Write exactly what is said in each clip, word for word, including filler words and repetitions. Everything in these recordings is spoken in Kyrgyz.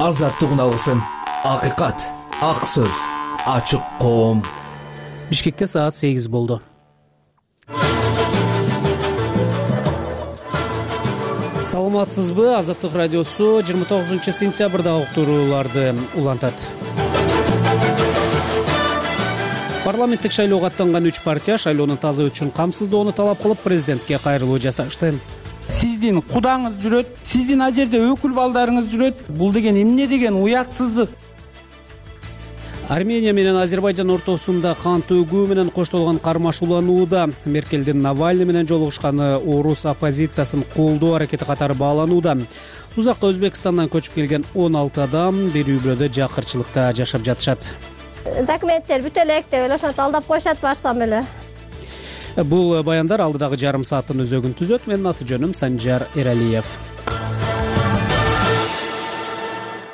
азаттык үналысын. Акыйкат, ак сөз, ачык коом. Бишкекте саат сегиз болду. Саламатсызбы? Азаттык радиосу жыйырма тогузунчу сентябрда уктурууларды улантат. Парламенттик шайлоого аттанган үч партия шайлоонун таза өтүшүн камсыздоону талап кылып президентке кайрылуу жасашты. Сиздин кудаңыз жүрөт, сиздин ал жерде өкүл балдарыңыз жүрөт. Бул деген эмне деген уятсыздык. Армения менен Азербайжан ортосунда кан төгүү менен коштолгон кармаш уланууда. Меркелдин Навальный менен жолугушканы орус оппозициясын колдоо аракети катары бааланууда. Сузакка Өзбекстандан көчүп келген он алты адам бир үй бүлөдө жакырчылыкта жашап жатышат. Документтер бүт элек деп эле ошентип алдап коюшат барсам эле. Бул баяндар алдыдагы жарым сааттын өзөгүн түзөт. Менин аты жөнүм Санжар Эралиев.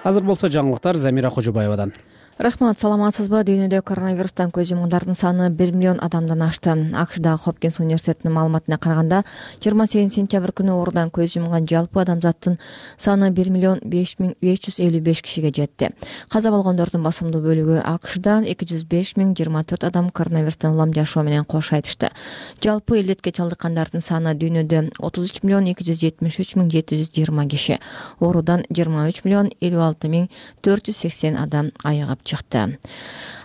Азыр болсо жаңылыктар Замира Кожобаевадан. Рахмат, саламатсызбы? Дүйнөдө коронавирустан көз жумгандардын саны бир миллион адамдан ашты. АКШдагы Хопкинс университетинин маалыматына караганда, жыйырма сегизинчи сентябрь күнү оорудан көз жумган жалпы адамзаттын саны бир миллион беш миң беш жүз элүү беш кишиге жетти. Каза болгондордун басымдуу бөлүгү АКШда эки жүз беш миң жыйырма төрт адам коронавирустан улам жашоо менен кош айтышты. Жалпы илдетке чалдыккандардын саны дүйнөдө отуз үч миллион эки жүз жетимиш үч миң жети жүз жыйырма киши. Оорудан жыйырма үч миллион элүү алты миң төрт жүз сексен адам айыгып чыкты.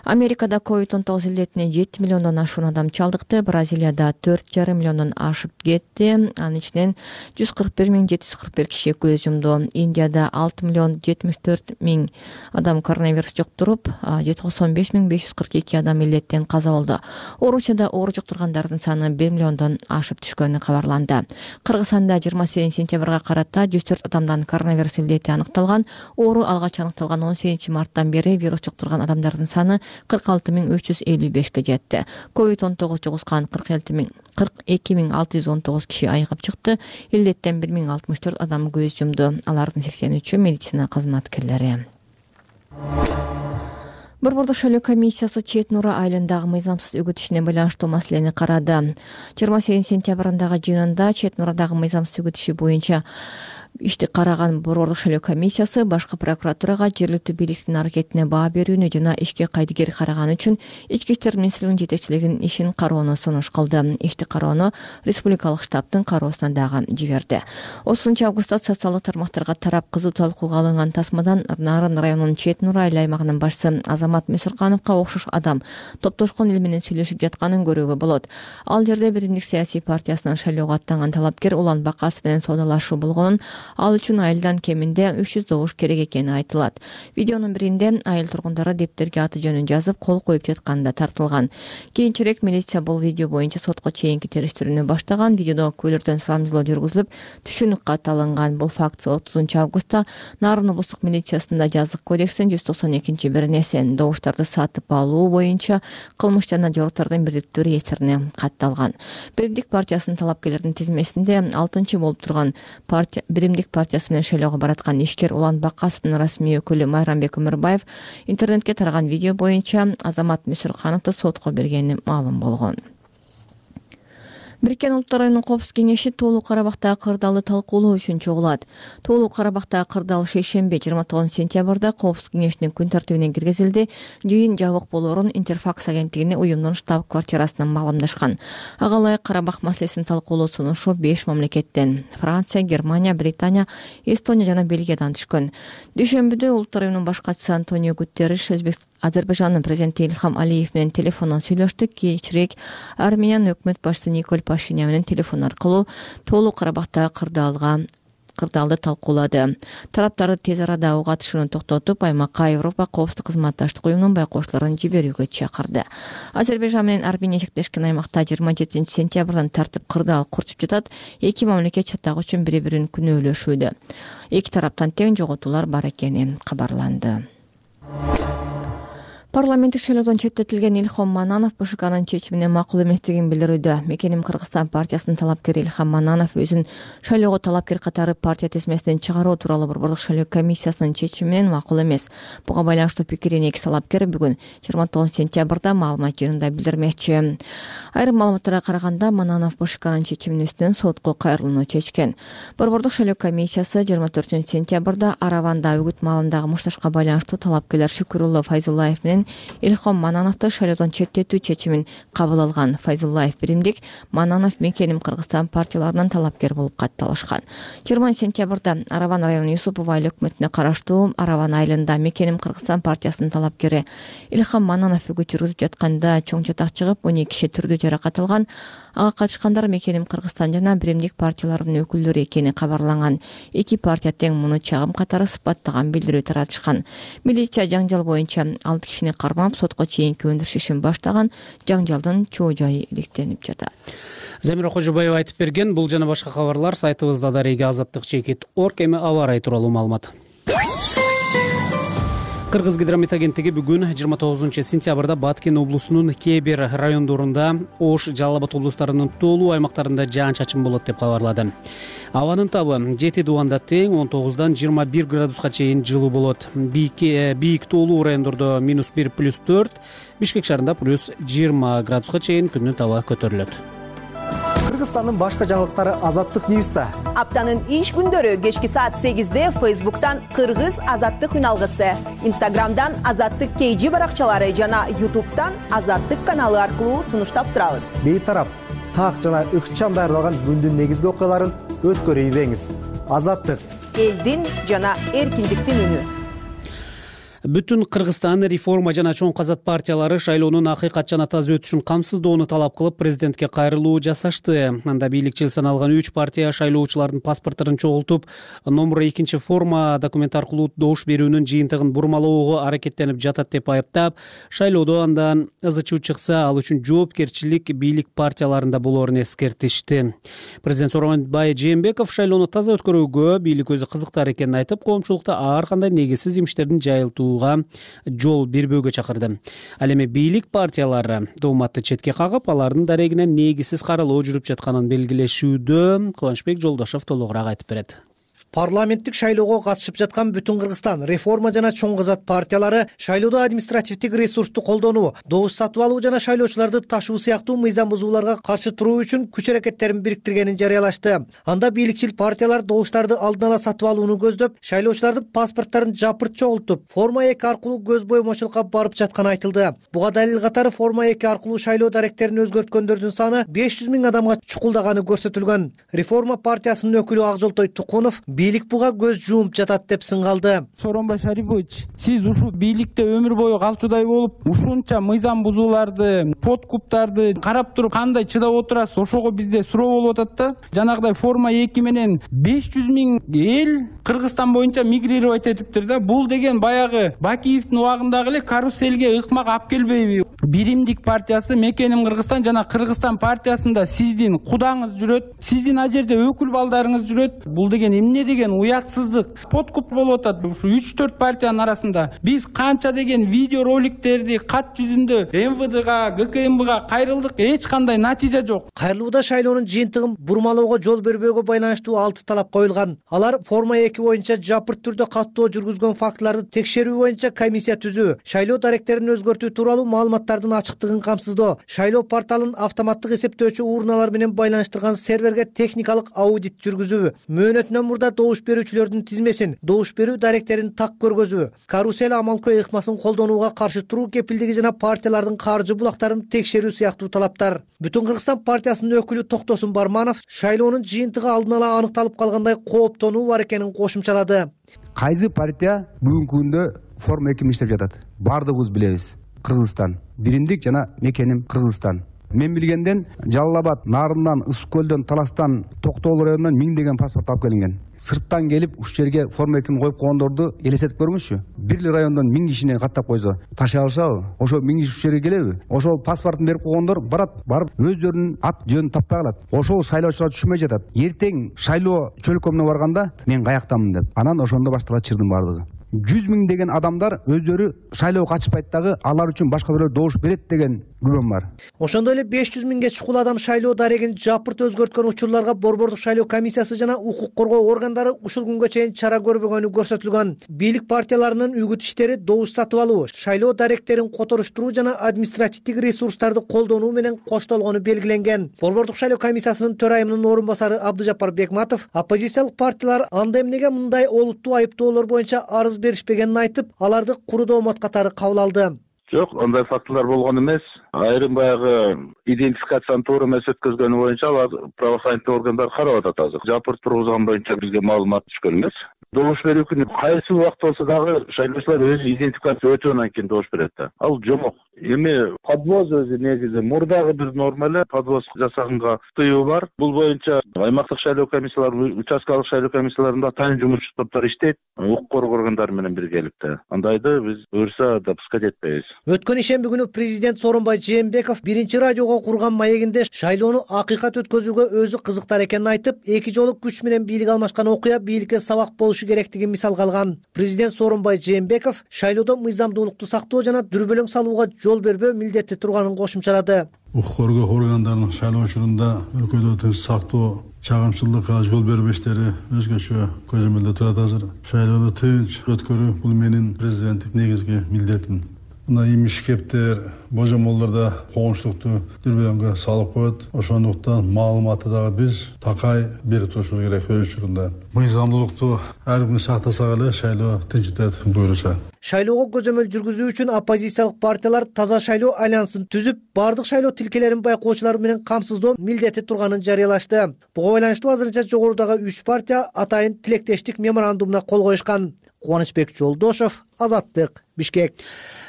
Америкада ковид он тогуз илдетине жети миллиондон ашуун адам чалдыкты. Бразилияда төрт жарым миллиондон ашып кетти. Анын ичинен жүз кырк бир миң жети жүз кырк бир киши көз жумду. Индияда алты миллион жетимиш төрт миң адам коронавирус жуктуруп, токсон беш миң беш жүз кырк эки адам илдеттен каза болду. Орусияда оору жуктургандардын саны бир миллиондон ашып түшкөнү кабарланды. Кыргызстанда жыйырма сегизинчи сентябрга карата жүз төрт адамдан коронавирус илдети аныкталган. Оору алгач аныкталган он сегизинчи марттан бери вирус жуктурган адамдардын саны кырк алты миң үч жүз элүү бешке жетти. ковид он тогуз жугузган кырк эки миң алты жүз он тогуз киши айыгып чыкты. Илдеттен бир миң алтымыш төрт адам көз жумду. Алардын сексен үчү медицина кызматкерлери. Борбордук шайлоо комиссиясы Чет Нура айылындагы мыйзамсыз үгүт ишине байланыштуу маселени карады. жыйырма сегизинчи сентябрындагы жыйынында Чет Нурадагы мыйзамсыз үгүт иши боюнча ишти караган Борбордук шайлоо комиссиясы башкы прокуратурага жергиликтүү бийликтин аракетине баа берүүнү жана ишке кайдыгер караганы үчүн Ички иштер министрлигинин жетекчилигинин ишин кароону сунуш кылды. Ишти кароону республикалык штабтын кароосуна дагы жиберди. отузунчу августта социалдык тармактарга тарап кызуу талкууга алынган тасмадан Нарын районунун Чет Нура айыл аймагынын башчысы Азамат Мүсүркановго окшош адам топтошкон эл менен сүйлөшүп жатканын көрүүгө болот. Ал жерде Биримдик саясий партиясынан шайлоого аттанган талапкер Улан Бакасов менен соодалашуу болгонун, ал үчүн айылдан кеминде үч жүз добуш керек экени айтылат. Видеонун биринде айыл тургундары дептерге аты жөнүн жазып кол коюп жатканда тартылган. Кийинчерээк милиция бул видео боюнча сотко чейинки териштирүүнү баштаган. Видеодо күбөлөрдөн сурамжылоо жүргүзүлүп, түшүнүк кат алынган. Бул факт отузунчу августта Нарын облустук милициясында жазык кодекстин жүз токсон экинчи беренеси добуштарды сатып алуу боюнча кылмыш жана жоруктардын бирдиктүү реестрине катталган. Биримдик партиясынын талапкерлердин тизмесинде алтынчы болуп турган партия Биримдик партиясы менен шайлоого бараткан ишкер Улан Бакасовдун расмий өкүлү Майрамбек Өмүрбаев интернетке тараган видео боюнча Азамат Мүсүркановду сотко бергени маалым болгон. Бириккен Улуттар уюмунун Коопсуздук кеңеши Тоолуу Карабактагы кырдаалды талкуулоо үчүн чогулат. Тоолуу Карабактагы кырдаал шейшемби жыйырма тогузунчу сентябрда Коопсуздук кеңешинин күн тартибине киргизилди. Жыйын жабык болоорун Интерфакс агенттигине уюмдун штаб-квартирасынан маалымдашкан. Ага ылайык Карабак маселесин талкуулоо сунушу беш мамлекеттен — Франция, Германия, Британия, Эстония жана Бельгиядан түшкөн. Дүйшөмбүдө Улуттар уюмунун баш катчысы Антонио Гутерриш Өзбекстан Азербайжандын президенти Илхам Алиев менен телефондон сүйлөштү. Кийинчерээк Армениянын өкмөт башчысы Николь Пашинян менен телефон аркылуу Тоолуу Карабактагы кырдаалга кырдаалды талкуулады. Тараптарды тез арада ого атышууну токтотуп, аймакка Европа коопсуздук кызматташтык уюмунун байкоочуларын жиберүүгө чакырды. Азербайжан менен Армения чектешкен аймакта жыйырма жетинчи сентябрдан тартып кырдаал курчуп жатат. Эки мамлекет чатак үчүн бири-бирин күнөөлөшүүдө. Эки тараптан тең жоготуулар бар экени кабарланды. Парламенттик шайлоодон четтетилген Илхом Мананов БШКнын чечимине макул эместигин билдирүүдө. Мекеним Кыргызстан партиясынын талапкери Илхом Мананов өзүн шайлоого талапкер катары партия тизмесинен чыгаруу тууралуу Борбордук шайлоо комиссиясынын чечиминен макул эмес. Буга байланыштуу пикирин эки талапкер бүгүн жыйырма тогузунчу сентябрда маалымат жыйынында билдирмекчи. Айрым маалыматтарга караганда Мананов БШКнын чечиминин үстүнөн сотко кайрылууну чечкен. Борбордук шайлоо комиссиясы жыйырма төртүнчү сентябрда Араванда үгүт маалындагы мушташка байланыштуу талапкерлер Шүкүрулло Файзуллаев менен Илхом Манановду шайлоодон четтетүү чечимин кабыл алган. Файзуллаев биримдик, Мананов Мекеним Кыргызстан партияларынын талапкер болуп катталышкан. жыйырманчы сентябрда Араван районунун Юсупов айыл өкмөтүнө караштуу Араван айылында Мекеним Кыргызстан партиясынын талапкери Илхом Мананов үгүт жүргүзүп жатканда чоң чатак чыгып, он эки киши түрдүү жаракат алган. Ага катышкандар Мекеним Кыргызстан жана биримдик партияларынын өкүлдөрү экени кабарланган. Эки партия тең муну чагым катары сыпаттаган билдирүү таратышкан. Милиция жаңжал боюнча алты кишини кармап, сотко чейинки өндүрүш ишин баштаган. Жаңжалдын чоо жайы иликтенип жатат. Замира Кожобаева айтып берген. Бул жана башка кабарлар сайтыбызда дареги азаттык чекит точка орг. Эми аба ырайы тууралуу маалымат. Кыргыз гидромет агенттиги бүгүн жыйырма тогузунчу сентябрда Баткен облусунун кээ бир райондорунда, Ош, Жалал Абад облустарынын толуу аймактарында жаан-чачын болот деп кабарлады. Абанын табы жети дубанда тең он тогуздан жыйырма бир градуска чейин жылуу болот. Бийик толуу райондордо минус бир плюс төрт, Бишкек шаарында плюс жыйырма градуска чейин күндүн табы көтөрүлөт. Кыргызстандын башка жаңылыктары Азаттык Ньюста. Аптанын иш күндөрү кечки саат сегизде Фейсбуктан Кыргыз Азаттык үналгысы, Инстаграмдан Азаттык Кейжи баракчалары жана Ютубтан Азаттык каналы аркылуу сунуштап турабыз. Бейтарап, так жана ыкчам даярдалган күндүн негизги окуяларын өткөрүйбеңиз. Азаттык элдин жана эркиндиктин үнү. Бүтүн Кыргызстан реформа жана чоң казат партиялары шайлоонун акыйкат жана таза өтүшүн камсыздоону талап кылып президентке кайрылуу жасашты. Анда бийликчил саналган үч партия шайлоочулардын паспортторун чогултуп, номер экинчи форма документ аркылуу добуш берүүнүн жыйынтыгын бурмалоого аракеттенип жатат деп айыптап, шайлоодо андан ызычуу чыкса, ал үчүн жоопкерчилик бийлик партияларында болоорун эскертишти. Президент Сооронбай Жээнбеков шайлоону таза өткөрүүгө бийлик өзү кызыктар экенин айтып, коомчулукта ар кандай негизсиз имиштердин жайылтуу жол бербөөгө чакырды. Ал эми бийлик партиялары дооматты четке кагып, алардын дарегинен негизсиз каралоо жүрүп жатканын белгилешүүдө. Кубанычбек Жолдошов толугураак айтып берет. Парламенттик шайлоого катышып жаткан Бүтүн Кыргызстан реформа жана чоң казат партиялары шайлоодо административдик ресурсту колдонуу, добуш сатып алуу жана шайлоочуларды ташуу сыяктуу мыйзам бузууларга каршы туруу үчүн күч аракеттерин бириктиргенин жарыялашты. Анда бийликчил партиялар добуштарды алдын ала сатып алууну көздөп, шайлоочулардын паспорттарын жапырт чогултуп, форма эки аркылуу көз боймочулукка барып жатканы айтылды. Буга далил катары форма эки аркылуу шайлоо даректерин өзгөрткөндөрдүн саны беш жүз миң адамга чукулдаганы көрсөтүлгөн. Реформа партиясынын өкүлү Акжолтой Тукунов бийлик буга көз жуумуп жатат деп сынгалды. Сооронбай Шарипович, сиз ушул бийликте өмүр бою калчудай болуп, ушунча мыйзам бузууларды, подкуптарды карап туруп кандай чыдап отурасыз? Ошого бизде суроо болуп атат да. Жанагыдай форма эки менен беш жүз миң эл Кыргызстан боюнча мигрировать этиптир да. Бул деген баягы Бакиевдин убагындагы эле каруселге ыкмак алып келбейби? Биримдик партиясы, Мекеним Кыргызстан жана Кыргызстан партиясында сиздин кудаңыз жүрөт, сиздин ал жерде өкүл балдарыңыз жүрөт. Бул деген эмне деген уятсыздык, подкуп болуп атат ушу үч төрт партиянын арасында. Биз канча деген видео роликтерди кат жүзүндө эм вэ дэга, гэ ка эм бга кайрылдык, эч кандай натыйжа жок. Кайрылууда шайлоонун жыйынтыгын бурмалоого жол бербөөгө байланыштуу алты талап коюлган. Алар форма эки боюнча жапырт түрдө каттоо жүргүзгөн фактыларды текшерүү боюнча комиссия түзүү, шайлоо даректерин өзгөртүү тууралуу маалыматтардын ачыктыгын камсыздоо, шайлоо порталын автоматтык эсептөөчү урналар менен байланыштырган серверге техникалык аудит жүргүзүү, мөөнөтүнөн мурда добуш берүүчүлөрдүн тизмесин, добуш берүү даректерин так көргөзүү, карусел амалкой ыкмасын колдонууга каршы туруу кепилдиги жана партиялардын каржы булактарын текшерүү сыяктуу талаптар. Бүтүн Кыргызстан партиясынын өкүлү Токтосун Барманов шайлоонун жыйынтыгы алдын ала аныкталып калгандай кооптонуу бар экенин кошумчалады. Кайсы партия бүгүнкү күндө форма эки иштеп жатат? Бардыгыбыз билебиз. Кыргызстан биримдик жана Мекеним Кыргызстан. Мен билгенден Жалал Абад, Нарындан, Ысык көлдөн, Таластан, Токтоол районунан миңдеген паспорт алып келинген. Сырттан келип ушул жерге форма экини коюп койгондорду элестетип көрмүшчү. Бир эле райондон миң кишини каттап койсо, ташый алышабы? Ошо миң киши ушул жерге келеби? Ошол паспортун берип койгондор барат, барып өздөрүнүн ат жөнүн таппай калат. Ошол шайлоочулар түшүнбөй жатат. Эртең шайлоо чөлкөмүнө барганда мен каяктамын деп. Анан ошондо башталат чырдын бардыгы. жүз миңдеген адамдар өздөрү шайлоого катышпайт дагы, алар үчүн башка бирөө добуш берет деген күбөм бар. Ошондой эле беш жүз миңге чукул адам шайлоо дарегин жапырт өзгөрткөн учурларга Борбордук шайлоо комиссиясы жана укук коргоо органдары ушул күнгө чейин чара көрбөгөнү көрсөтүлгөн. Бийлик партияларынын үгүт иштери добуш сатып алуу, шайлоо даректерин которуштуруу жана административдик ресурстарды колдонуу менен коштолгону белгиленген. Борбордук шайлоо комиссиясынын төрайымынын орун басары Абдыжапар Бекматов оппозициялык партиялар анда эмнеге мындай олуттуу айыптоолор боюнча арыз беришпегенин айтып, аларды куру доомат катары кабыл алды. Жок, андай фактылар болгон эмес. Айрым баягы идентификацияны туура эмес өткөзгөнү боюнча алар правоохранительдик органдар карап атат азыр. Жапырт тургузган боюнча бизге маалымат түшкөн эмес. Добуш берүү күнү кайсы убакыт болсо дагы шайлоочулар өзү идентификация өтөбөдөн кийин добуш берет да. Ал жомок. Эми подвоз өзү негизи мурдагы бир норма эле подвоз жасаганга тыюу бар. Бул боюнча аймактык шайлоо комиссиялары, участкалык шайлоо комиссияларында тайын жумушчу топтор иштейт, укук коргоо органдары менен биргеликте. Андайды биз буюрса допускать этпейбиз. Өткөн ишемби күнү президент Сооронбай Жээнбеков биринчи радиого курган маегинде шайлоону акыйкат өткөзүүгө өзү кызыктар экенин айтып, эки жолу күч менен бийлик алмашкан окуя бийликке сабак болушу керектигин мисалга алган. Президент Сооронбай Жээнбеков шайлоодо мыйзамдуулукту сактоо жана дүрбөлөң салууга жол бербөө милдети турганын кошумчалады. Укук коргоо органдарынын шайлоо учурунда өлкөдө тынч сактоо, чагымчылыкка жол бербөө иштери өзгөчө көзөмөлдө турат азыр. Шайлоону тынч өткөрүү бул менин президенттик негизги милдетим. Мына имиш кептер, божомолдордо коомчулукту дүрбөлөңгө салып коет. Ошондуктан маалыматты дагы биз такай берип турушубуз керек өз учурунда. Мыйзамдуулукту ар күнү сактасак эле шайлоо тынч өтөт буюрса. Шайлоого көзөмөл жүргүзүү үчүн оппозициялык партиялар Таза шайлоо альянсын түзүп, бардык шайлоо тилкелерин байкоочулар менен камсыздоо милдети турганын жарыялашты. Буга байланыштуу азырынча жогорудагы үч партия атайын тилектештик меморандумуна кол коюшкан. Кубанычбек Жолдошов, Азаттык, Бишкек.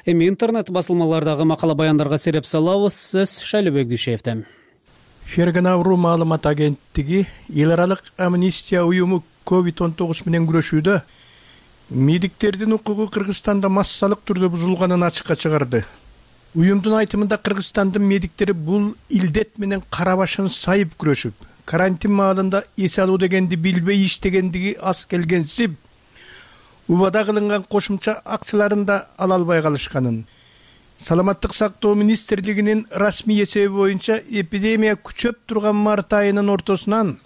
Эми интернет басылмалардагы макала баяндарга сереп салабыз. Сөз Шайлообек Дүйшеевден. Фергенавру маалымат агенттиги эл аралык амнистия уюму ковид он тогуз менен күрөшүүдө медиктердин укугу Кыргызстанда массалык түрдө бузулганын ачыкка чыгарды. Уюмдун айтымында Кыргызстандын медиктери бул илдет менен кара башын сайып күрөшүп, карантин маалында эс алуу дегенди билбей иштегендиги аз келгенсип, убада кылынган кошумча акчаларын да ала албай калышканын. Саламаттык сактоо министрлигинин расмий эсеби боюнча эпидемия күчөп турган март айынын ортосунан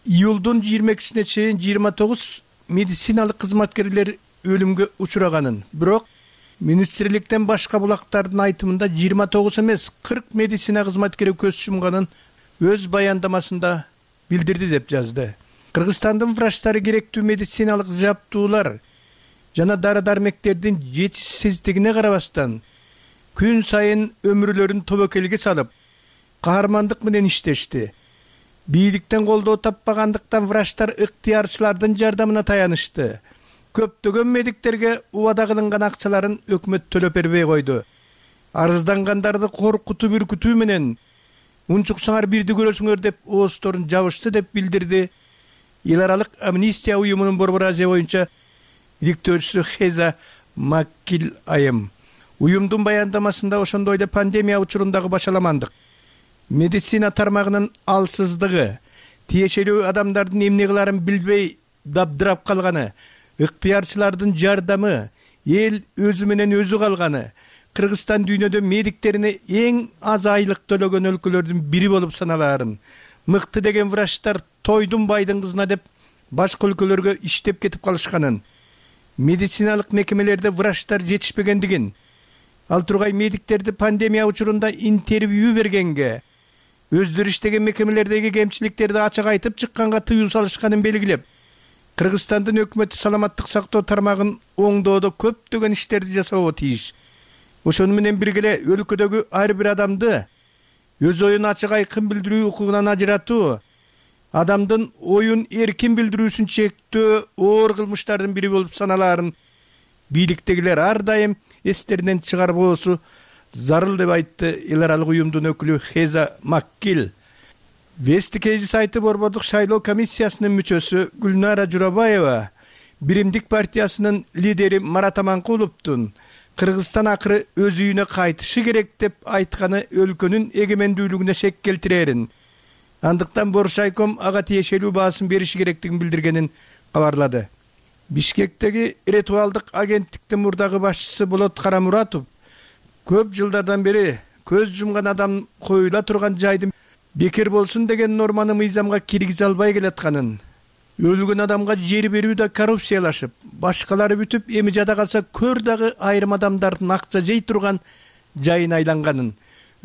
июлдун жыйырма экисине чейин жыйырма тогуз медициналык кызматкерлер өлүмгө учураганын. Бирок министрликтен башка булактардын айтымында жыйырма тогуз эмес, кырк медицина кызматкери көз жумганын өз баяндамасында билдирди деп жазды. Кыргызстандын врачтары керектүү медициналык жабдуулар жана дары-дармектердин жетишсиздигине карабастан күн сайын өмүрлөрүн тобокелге салып, каармандык менен иштешти. Бийликтен колдоо таппагандыктан врачтар ыктыярчылардын жардамына таянышты. Көптөгөн медиктерге убада кылынган акчаларын өкмөт төлөп бербей койду. Арыздангандарды коркутуп үркүтүү менен унчуксаңар бирди көрөсүңөр деп оозторун жабышты деп билдирди эл аралык амнистия уюмунун Борбор Азия боюнча иликтөөчүсү Хеза Маккил айым. Уюмдун баяндамасында ошондой эле пандемия учурундагы башаламандык, медицина тармагынын алсыздыгы, тиешелүү адамдардын эмне кыларын билбей дабдырап калганы, ыктыярчылардын жардамы, эл өзү менен өзү калганы, Кыргызстан дүйнөдө медиктерине эң аз айлык төлөгөн өлкөлөрдүн бири болуп саналаарын, мыкты деген врачтар тойдун байдын кызына деп башка өлкөлөргө иштеп кетип калышканын, медициналык мекемелерде врачтар жетишпегендигин, ал тургай медиктерди пандемия учурунда интервью бергенге, өздөрү иштеген мекемелердеги кемчиликтерди ачык айтып чыкканга тыюу салышканын белгилеп, Кыргызстандын өкмөтү саламаттык сактоо тармагын оңдоодо көптөгөн иштерди жасоого тийиш. Ошону менен бирге эле өлкөдөгү ар бир адамды өз оюн ачык айкын билдирүү укугунан ажыратуу, адамдын оюн эркин билдирүүсүн чектөө оор кылмыштардын бири болуп саналаарын бийликтегилер ар дайым эстеринен чыгарбоосу зарыл деп айтты эл аралык уюмдун өкүлү Хеза Маккил. Вести Кейжи сайты Борбордук шайлоо комиссиясынын мүчөсү Гүлнара Журабаева Биримдик партиясынын лидери Марат Аманкуловдун Кыргызстан акыры өз үйүнө кайтышы керек деп айтканы өлкөнүн эгемендүүлүгүнө шек келтирерин, андыктан Боршайком ага тиешелүү баасын бериши керектигин билдиргенин кабарлады. Бишкектеги ритуалдык агенттиктин мурдагы башчысы Болот Карамуратов көп жылдардан бери көз жумган адам коюла турган жайды бекер болсун деген норманы мыйзамга киргизе албай келатканын, өлгөн адамга жер берүү да коррупциялашып, башкалары бүтүп эми жада калса көр дагы айрым адамдардын акча жей турган жайын айланганын,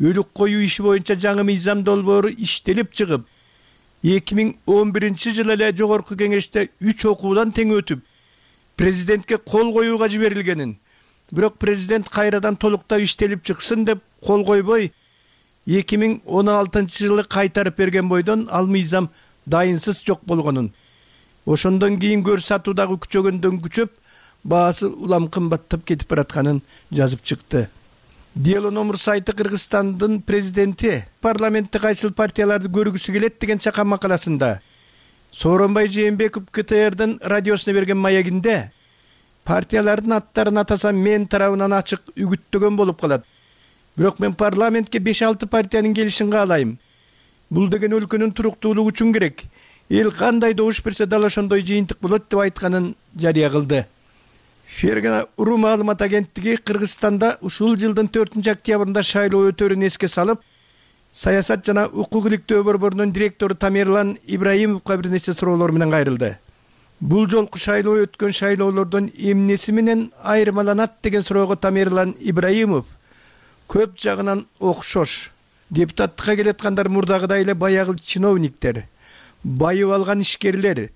өлүк коюу иши боюнча жаңы мыйзам долбоору иштелип чыгып, эки миң он биринчи жылы эле жогорку кеңеште үч окуудан тең өтүп, президентке кол коюуга жиберилгенин, бирок президент кайрадан толуктап иштелип чыксын деп кол койбой, эки миң он алтынчы жылы кайтарып берген бойдон ал мыйзам дайынсыз жок болгонун, ошондон кийин көр сатуу дагы күчөгөндөн күчөп, баасы улам кымбаттап кетип баратканын жазып чыкты. Дело номер сайты Кыргызстандын президенти парламентте кайсыл партияларды көргүсү келет деген чакан макаласында Сооронбай Жээнбеков КТРдин радиосуна берген маегинде партиялардын аттарын атасам мен тарабынан ачык үгүттөгөн болуп калат. Бирок мен парламентке беш алты партиянын келишин каалайм. Бул деген өлкөнүн туруктуулугу үчүн керек. Эл кандай добуш берсе дал ошондой жыйынтык болот деп айтканын жарыя кылды. Фергана Уру маалымат агенттиги Кыргызстанда ушул жылдын төртүнчү октябрында шайлоо өтөрүн эске салып, саясат жана укук иликтөө борборунун директору Тамерлан Ибраимовго бир нече суроолор менен кайрылды. Бул жолку шайлоо өткөн шайлоолордон эмнеси менен айырмаланат деген суроого Тамерлан Ибраимов көп жагынан окшош. Депутаттыкка келаткандар мурдагыдай эле баягы чиновниктер, байып алган ишкерлер,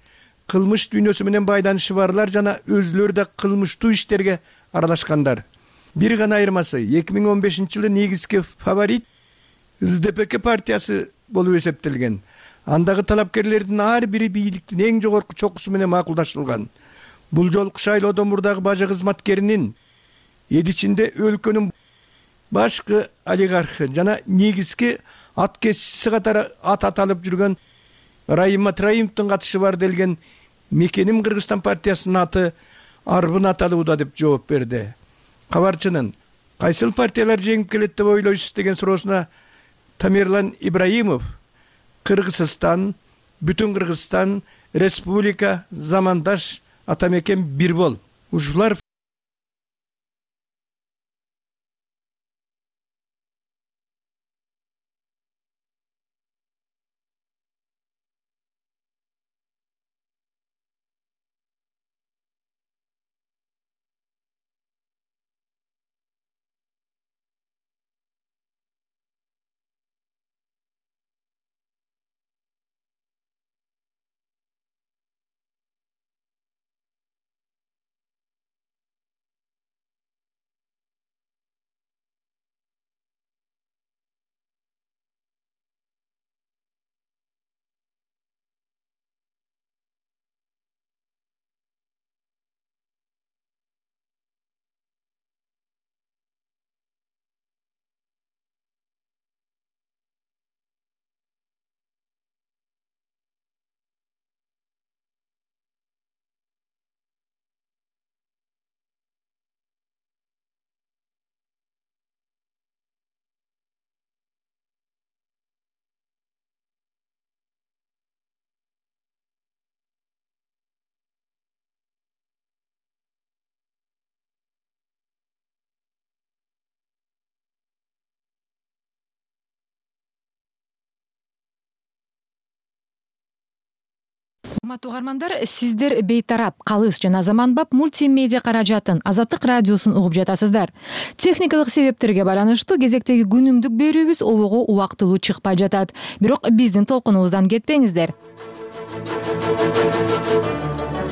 кылмыш дүйнөсү менен байланышы барлар жана өзүлөрү да кылмыштуу иштерге аралашкандар. Бир гана айырмасы эки миң он бешинчи жылы негизги фаворит СДПК партиясы болуп эсептелген. Андагы талапкерлердин ар бири бийликтин эң жогорку чокусу менен макулдашылган. Бул жолку шайлоодо мурдагы бажы кызматкеринин эл ичинде өлкөнүн башкы олигархы жана негизги ат кесчиси катары ат аталып жүргөн Райым Матраимовдун катышы бар делген Мекеним Кыргызстан партиясынын аты арбын аталууда деп жооп берди. Кабарчынын кайсыл партиялар жеңип келет деп ойлойсуз деген суроосуна Тамерлан Ибраимов Кыргызстан, Бүтүн Кыргызстан, Республика, Замандаш, Атамекен бир бол. Ушулар Урматтуу угармандар, сиздер бейтарап, калыс жана заманбап мультимедиа каражатын Азаттык радиосун угуп жатасыздар. Техникалык себептерге байланыштуу кезектеги күнүмдүк берүүбүз обого убактылуу чыкпай жатат. Бирок биздин толкунубуздан кетпеңиздер.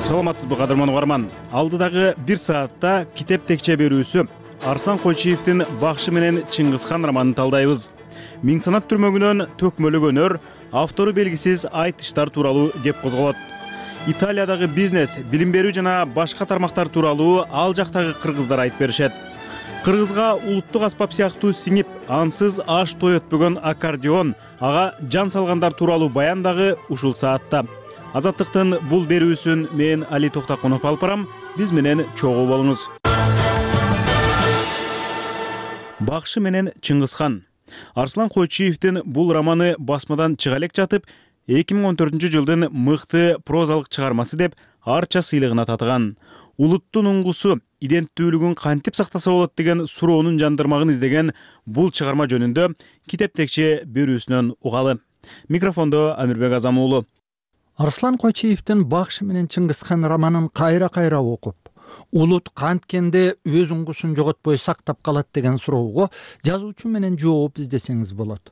Саламатсызбы кадырман угарман. Алдыдагы бир саатта китеп текче берүүсү Арслан Койчиевдин Бакшы менен Чыңгызхан романын талдайбыз. Миң санат түрмөгүнөн төкмөлүк өнөр, автору белгисиз айтыштар тууралуу кеп козголот. Италиядагы бизнес, билим берүү жана башка тармактар тууралуу ал жактагы кыргыздар айтып беришет. Кыргызга улуттук аспап сыяктуу сиңип, ансыз аш той өтпөгөн аккордеон, ага жан салгандар тууралуу баян дагы ушул саатта. Азаттыктын бул берүүсүн мен Али Токтакунов алып барам. Биз менен чогуу болуңуз. Бакшы менен Чыңгызхан. Арслан Койчиевдин бул романы басмадан чыга элек жатып, эки миң он төртүнчү жылдын мыкты прозалык чыгармасы деп арча сыйлыгына татыган. Улуттун уңгусу иденттүүлүгүн кантип сактаса болот деген суроонун жандырмагын издеген бул чыгарма жөнүндө китеп текче берүүсүнөн угалы. Микрофондо Амирбек Азам уулу. Арслан Койчиевдин Бакшы менен Чыңгызхан романын кайра-кайра окуп, улут канткенде өз уңгусун жоготпой сактап калат деген суроого жазуучу менен жооп издесеңиз болот.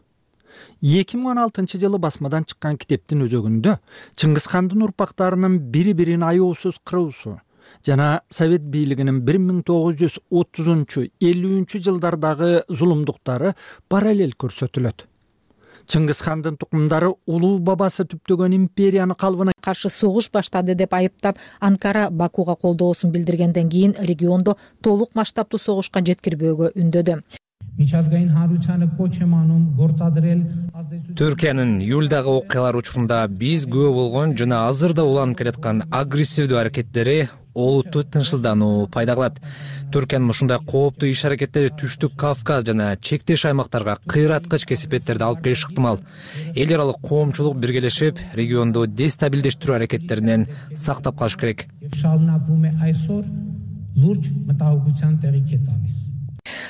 эки миң он алтынчы жылы басмадан чыккан китептин өзөгүндө Чыңгызхандын урпактарынын бири-бирин аяосуз кыруусу жана Совет бийлигинин бир миң тогуз жүз отузунчу элүүнчү жылдардагы зулумдуктары параллель көрсөтүлөт. Чыңгызхандын тукумдары улуу бабасы түптөгөн империяны калыбына каршы согуш баштады деп айыптап, Анкара Бакуга колдоосун билдиргенден кийин региондо толук масштабтуу согушка жеткирбөөгө үндөдү. Түркиянын июлдагы окуялар учурунда биз күбө болгон жана азырда уланып келаткан агрессивдүү аракеттери олуттуу тынчсыздануу пайда кылат. Түркиянын ушундай кооптуу иш-аракеттери Түштүк Кавказ жана чектеш аймактарга кыйраткыч кесипеттерди алып келиши ыктымал. Эл аралык коомчулук биргелешип, регионду дестабилдештирүү аракеттеринен сактап калыш керек.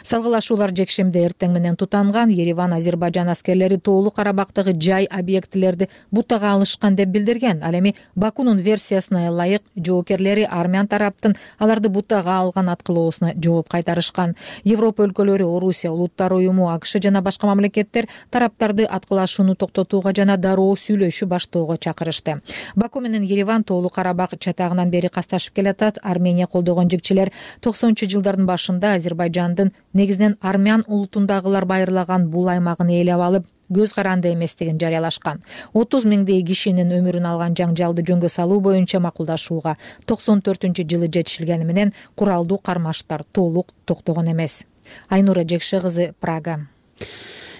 Салгылашуулар жекшемде эртең менен тутанган. Ереван Азербайжан аскерлери Тоолу Карабактагы жай объектилерди бутага алышкан деп билдирген. Ал эми Бакунун версиясына ылайык жоокерлери армян тараптын аларды бутага алган аткылоосуна жооп кайтарышкан. Европа өлкөлөрү, Орусия улуттар уюму, АКШ жана башка мамлекеттер тараптарды аткылашууну токтотууга жана дароо сүйлөшүү баштоого чакырышты. Баку менен Ереван Тоолу Карабак чатагынан бери касташып келатат. Армения колдогон жигчилер токсонунчу жылдардын башында Азербайжандын негизинен армян улутундагылар байырлаган бул аймагын ээлеп алып, көз каранды эместигин жарыялашкан. отуз миңдей кишинин өмүрүн алган жаңжалды жөнгө салуу боюнча макулдашууга токсон төртүнчү жылы жетишилгени менен куралдуу кармаштар толук токтогон эмес. Айнура Жекше кызы, Прага.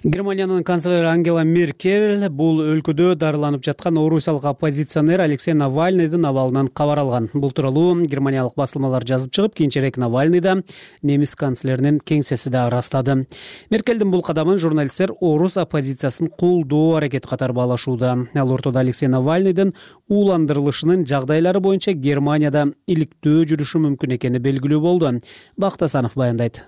Германиянын канцлери Ангела Меркель бул өлкөдө дарыланып жаткан орусиялык оппозиционер Алексей Навальныйдын абалынан кабар алган. Бул тууралуу германиялык басылмалар жазып чыгып, кийинчерээк Навальный да немис канцлеринин кеңсеси да ырастады. Меркелдин бул кадамын журналисттер орус оппозициясын колдоо аракети катары баалашууда. Ал ортодо Алексей Навальныйдын ууландырылышынын жагдайлары боюнча Германияда иликтөө жүрүшү мүмкүн экени белгилүү болду. Бактасанов баяндайт.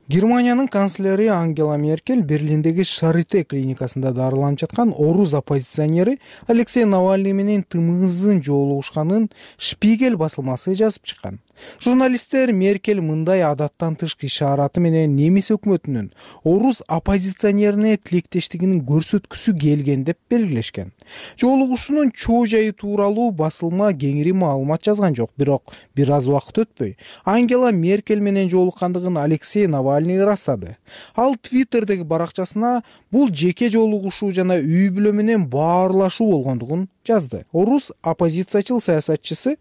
Германиянын канцлери Ангела Меркель Берлиндеги Шарите клиникасында дарыланып жаткан орус оппозиционери Алексей Навальный менен тымызын жолугушканын Шпигель басылмасы жазып чыккан. Журналисттер Меркель мындай адаттан тышкы ишараты менен немис өкмөтүнүн орус оппозиционерине тилектештигин көрсөткүсү келген деп белгилешкен. Жолугушуунун чоо жайы тууралуу басылма кеңири маалымат жазган жок, бирок бир аз убакыт өтпөй Ангела Меркель менен жолуккандыгын Алексей Навальный ырастады. Ал Твиттердеги баракчасына бул жеке жолугушуу жана үй бүлө менен баарлашуу болгондугун жазды. Орус оппозициячыл саясатчысы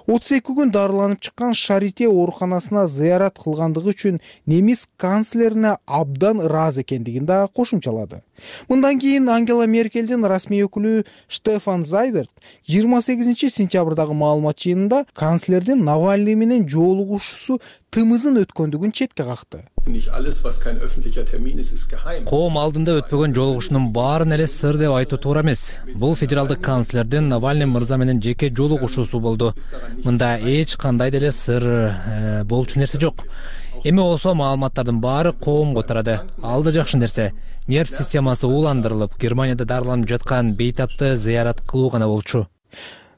отуз эки күн дарыланып чыккан Шарите ооруканасына зыярат кылгандыгы үчүн немис канцлерине абдан ыраазы экендигин да кошумчалады. Мындан кийин Ангела Меркелдин расмий өкүлү Штефан Зайберт жыйырма сегизинчи сентябрдагы маалымат жыйынында канцлердин Навальный менен жолугушуусу тымызын өткөндүгүн четке какты. Коом алдында өтпөгөн жолугушуунун баарын эле сыр деп айтуу туура эмес. Бул федералдык канцлердин Навальный мырза менен жеке жолугушуусу болду. Мында эч кандай деле сыр болчу нерсе жок. Эми болсо маалыматтардын баары коомго тарады. Ал да жакшы нерсе. Нерв системасы ууландырылып, Германияда дарыланып жаткан бейтапты зыярат кылуу гана болчу.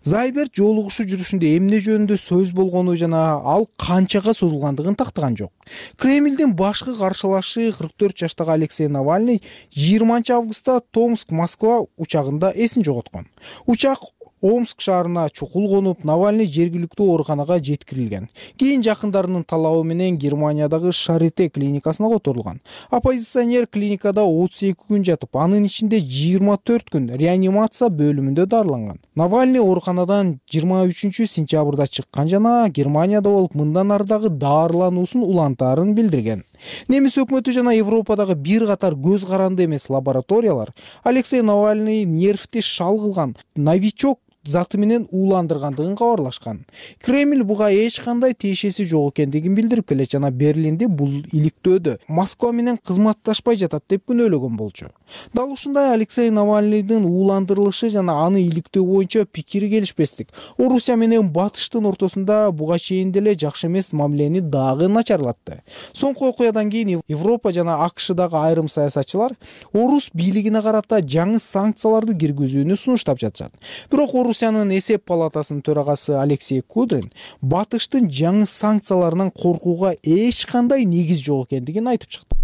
Зайберт жолугушуу жүрүшүндө эмне жөнүндө сөз болгону жана ал канчага созулгандыгын тактаган жок. Кремлдин башкы каршылашы кырк төрт жаштагы Алексей Навальный жыйырманчы августта Томск-Москва учагында эсин жоготкон. Учак Омск шаарына чукул конуп, Навальный жергиликтүү ооруканага жеткирилген. Кийин жакындарынын талабы менен Германиядагы Шарите клиникасына которулган. Оппозиционер клиникада отуз эки күн жатып, анын ичинде жыйырма төрт күн реанимация бөлүмүндө дарыланган. Навальный ооруканадан жыйырма үчүнчү сентябрда чыккан жана Германияда болуп, мындан ары дагы дарылануусун улантаарын билдирген. Немис өкмөтү жана Европадагы бир катар көз каранды эмес лабораториялар Алексей Навальный нервти шал кылган новичок заты менен ууландыргандыгын кабарлашкан. Кремль буга эч кандай тиешеси жок экендигин билдирип келет жана Берлинде бул иликтөөдө Москва менен кызматташпай жатат деп күнөөлөгөн болчу. Дал ушундай Алексей Навальныйдын ууландырылышы жана аны иликтөө боюнча пикири келишпестик Орусия менен Батыштын ортосунда буга чейин деле жакшы эмес мамилени дагы начарлатты. Соңку окуядан кийин Европа жана АКШдагы айрым саясатчылар Орус бийлигине карата жаңы санкцияларды киргизүүнү сунуштап жатышат. Бирок Орусиянын эсеп палатасынын төрагасы Алексей Кудрин Батыштын жаңы санкцияларынан коркууга эч кандай негиз жок экендигин айтып чыкты.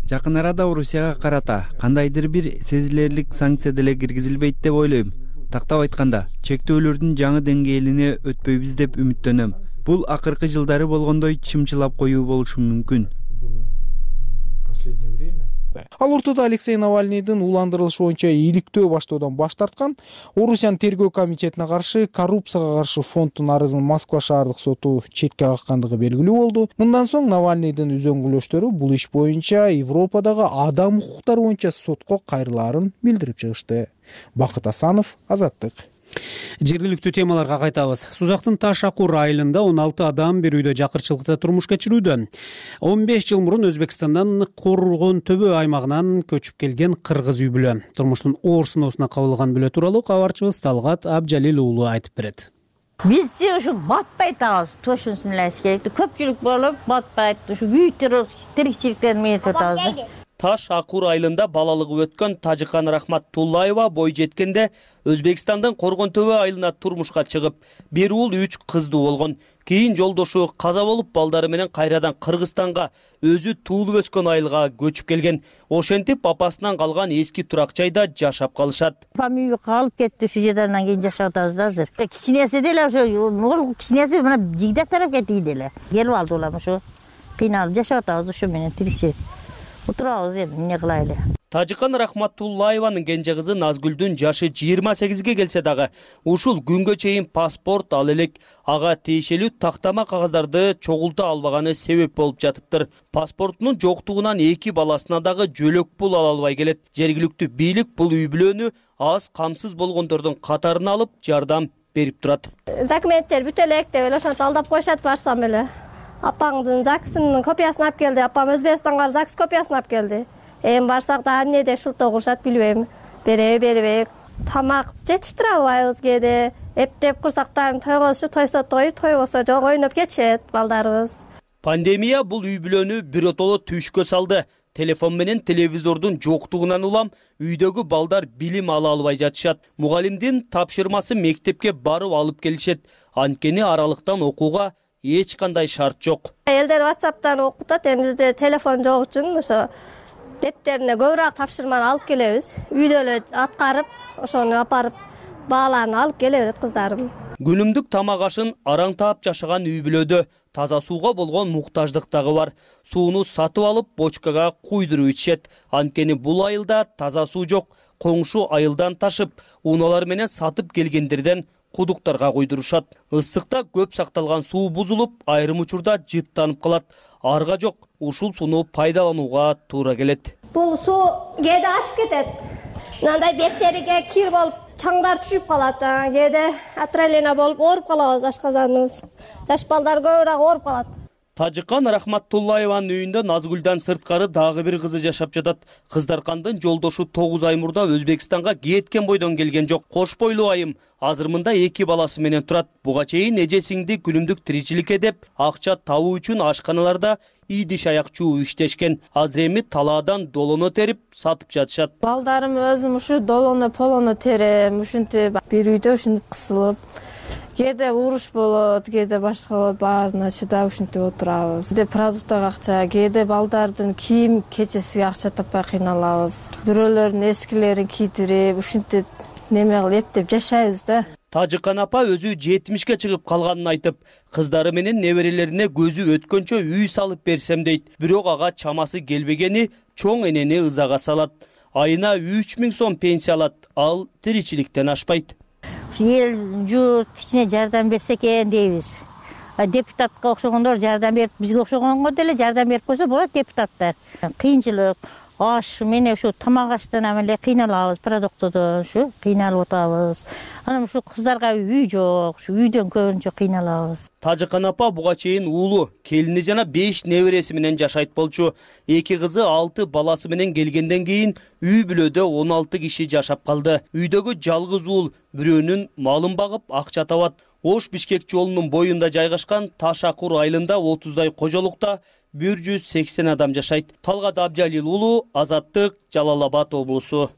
Жакын арада Орусияга карата кандайдыр бир сезилерлик санкция деле киргизилбейт деп ойлойм. Тактап айтканда, чектөөлөрдүн жаңы деңгээлине өтпөйбүз деп үмүттөнөм. Бул акыркы жылдары болгондой чымчылап коюу болушу мүмкүн. Ал ортодо Алексей Навальныйдын ууландырылышы боюнча иликтөө баштоодон баш тарткан Орусиянын тергөө комитетине каршы коррупцияга каршы фонддун арызын Москва шаардык соту четке каккандыгы белгилүү болду. Мындан соң Навальныйдын үзөңгүлөштөрү бул иш боюнча Европадагы адам укуктары боюнча сотко кайрылаарын билдирип чыгышты. Бакыт Асанов, Азаттык. Жергиликтүү темаларга кайтабыз. Сузактын Таш Акур айылында он алты адам бир үйдө жакырчылыкта турмуш кечирүүдө. он беш жыл мурун Өзбекстандан Коргон Төбө аймагынан көчүп келген кыргыз үй бүлө турмуштун оор сыноосуна кабылган бүлө тууралуу кабарчыбыз Талгат Абжалил уулу айтып берет. Биз ушу батпайт атабыз, тошунсун эле керек. Көпчүлүк болуп батпайт, ушу үй тирикчиликтен метип атабыз. Таш Акур айылында балалыгы өткөн Тажикан Рахматуллаева бой жеткенде Өзбекстандын Коргон Төбө айылына турмушка чыгып, бир уул үч кыздуу болгон. Кийин жолдошу каза болуп, балдары менен кайрадан Кыргызстанга, өзү туулуп өскөн айылга көчүп келген. Ошентип апасынан калган эски турак жайда жашап калышат. Апам үйгө калып кетти, ушу жерден кийин жашап атабыз да азыр. Кичинеси деле ошо, кичинеси мына жигдек тарапка тийди эле. Келип алды улам ошо. Кыйналып жашап атабыз ошо менен тиричи. Отурабыз эми эмне кылайлы. Тажикан Рахматуллаеванын кенже кызы Назгүлдүн жашы жыйырма сегизге келсе дагы, ушул күнгө чейин паспорт ал элек, ага тиешелүү тактама кагаздарды чогулта албаганы себеп болуп жатыптыр. Паспортунун жоктугунан эки баласына дагы жөлөк пул ала албай келет. Жергиликтүү бийлик бул үй бүлөнү аз камсыз болгондордун катарына алып жардам берип турат. Документтер бүт элек деп эле ошентип алдап коюшат барсам эле. Апаңдын ЗАГСынын копиясын алып келди. Апам Өзбекстанга ЗАГС копиясын алып келди. Эми барсак да эмнеде шултоо кылышат билбейм. Береби бербей. Тамак жетиштире албайбыз кээде. Эптеп курсактарын тойгозуп, тойсо тоюп, тойбосо жок ойноп кетишет балдарыбыз. Пандемия бул үй бүлөнү биротоло түйшкө салды. Телефон менен телевизордун жоктугунан улам үйдөгү балдар билим ала албай жатышат. Мугалимдин тапшырмасы мектепке барып алып келишет. Анткени аралыктан окууга эч кандай шарт жок. Элдер WhatsApp'тан окутат, эми бизде телефон жок үчүн ошо дептерине көбүрөөк тапшырманы алып келебиз. Үйдө эле аткарып, ошону апарып бааларын алып келе берет кыздарым. Күнүмдүк тамак ашын араң таап жашаган үй бүлөдө таза сууга болгон муктаждык дагы бар. Сууну сатып алып, бочкага куйдуруп ичишет. Анткени бул айылда таза суу жок. Коңшу айылдан ташып, унаалар менен сатып келгендерден кудуктарга куйдурушат. Ысыкта көп сакталган суу бузулуп, айрым учурда жыттанып калат. Арга жок, ушул сууну пайдаланууга туура келет. Бул суу кээде ачып кетет. Мындай беттериге кир болуп, чаңдар түшүп калат. Кээде отравление болуп ооруп калабыз, ашказаныбыз. Жаш балдар көбүрөөк ооруп калат. Тажикан Рахматуллаеванын үйүндө Назгүлдан сырткары дагы бир кызы жашап жатат. Кыздаркандын жолдошу тогуз ай мурда Өзбекстанга кеткен бойдон келген жок. Кош бойлуу айым азыр мында эки баласы менен турат. Буга чейин эжесиңди күнүмдүк тиричиликке деп акча табуу үчүн ашканаларда идиш аяк чуу иштешкен. Азыр эми талаадан долоно терип сатып жатышат. Балдарым өзүм ушу долоно полоно терем, ушинтип бир үйдө ушинтип кысылып, кээде уруш болот, кээде башка болот, баарына чыдап ушинтип отурабыз. Кээде продуктага акча, кээде балдардын кийим кечесиге акча таппай кыйналабыз. Бирөөлөрдүн эскилерин кийдирип, ушинтип неме кылып эптеп жашайбыз да. Тажикан апа өзү жетимишке чыгып калганын айтып, кыздары менен неберелерине көзү өткөнчө үй салып берсем дейт. Бирок ага чамасы келбегени чоң энени ызага салат. Айына үч миң сом пенсия алат, ал тиричиликтен ашпайт. Эл журт кичине жардам берсе экен дейбиз. Депутатка окшогондор жардам берип, бизге окшогонго деле жардам берип койсо болот депутаттар. Кыйынчылык, аш менен ушу тамак аштан эле кыйналабыз, продуктодон ушу кыйналып атабыз. Анан ушу кыздарга үй жок, ушу үйдөн көбүнчө кыйналабыз. Тажыкан апа буга чейин уулу, келини жана беш небереси менен жашайт болчу. Эки кызы алты баласы менен келгенден кийин үй бүлөдө он алты киши жашап калды. Үйдөгү жалгыз уул бирөөнүн малын багып акча табат. Ош Бишкек жолунун боюнда жайгашкан Таш Акур айылында отуздай кожолукта бир жүз сексен адам жашайт. Талгат Абдjalil уулу, Азаттык, Жалал Абад облусу.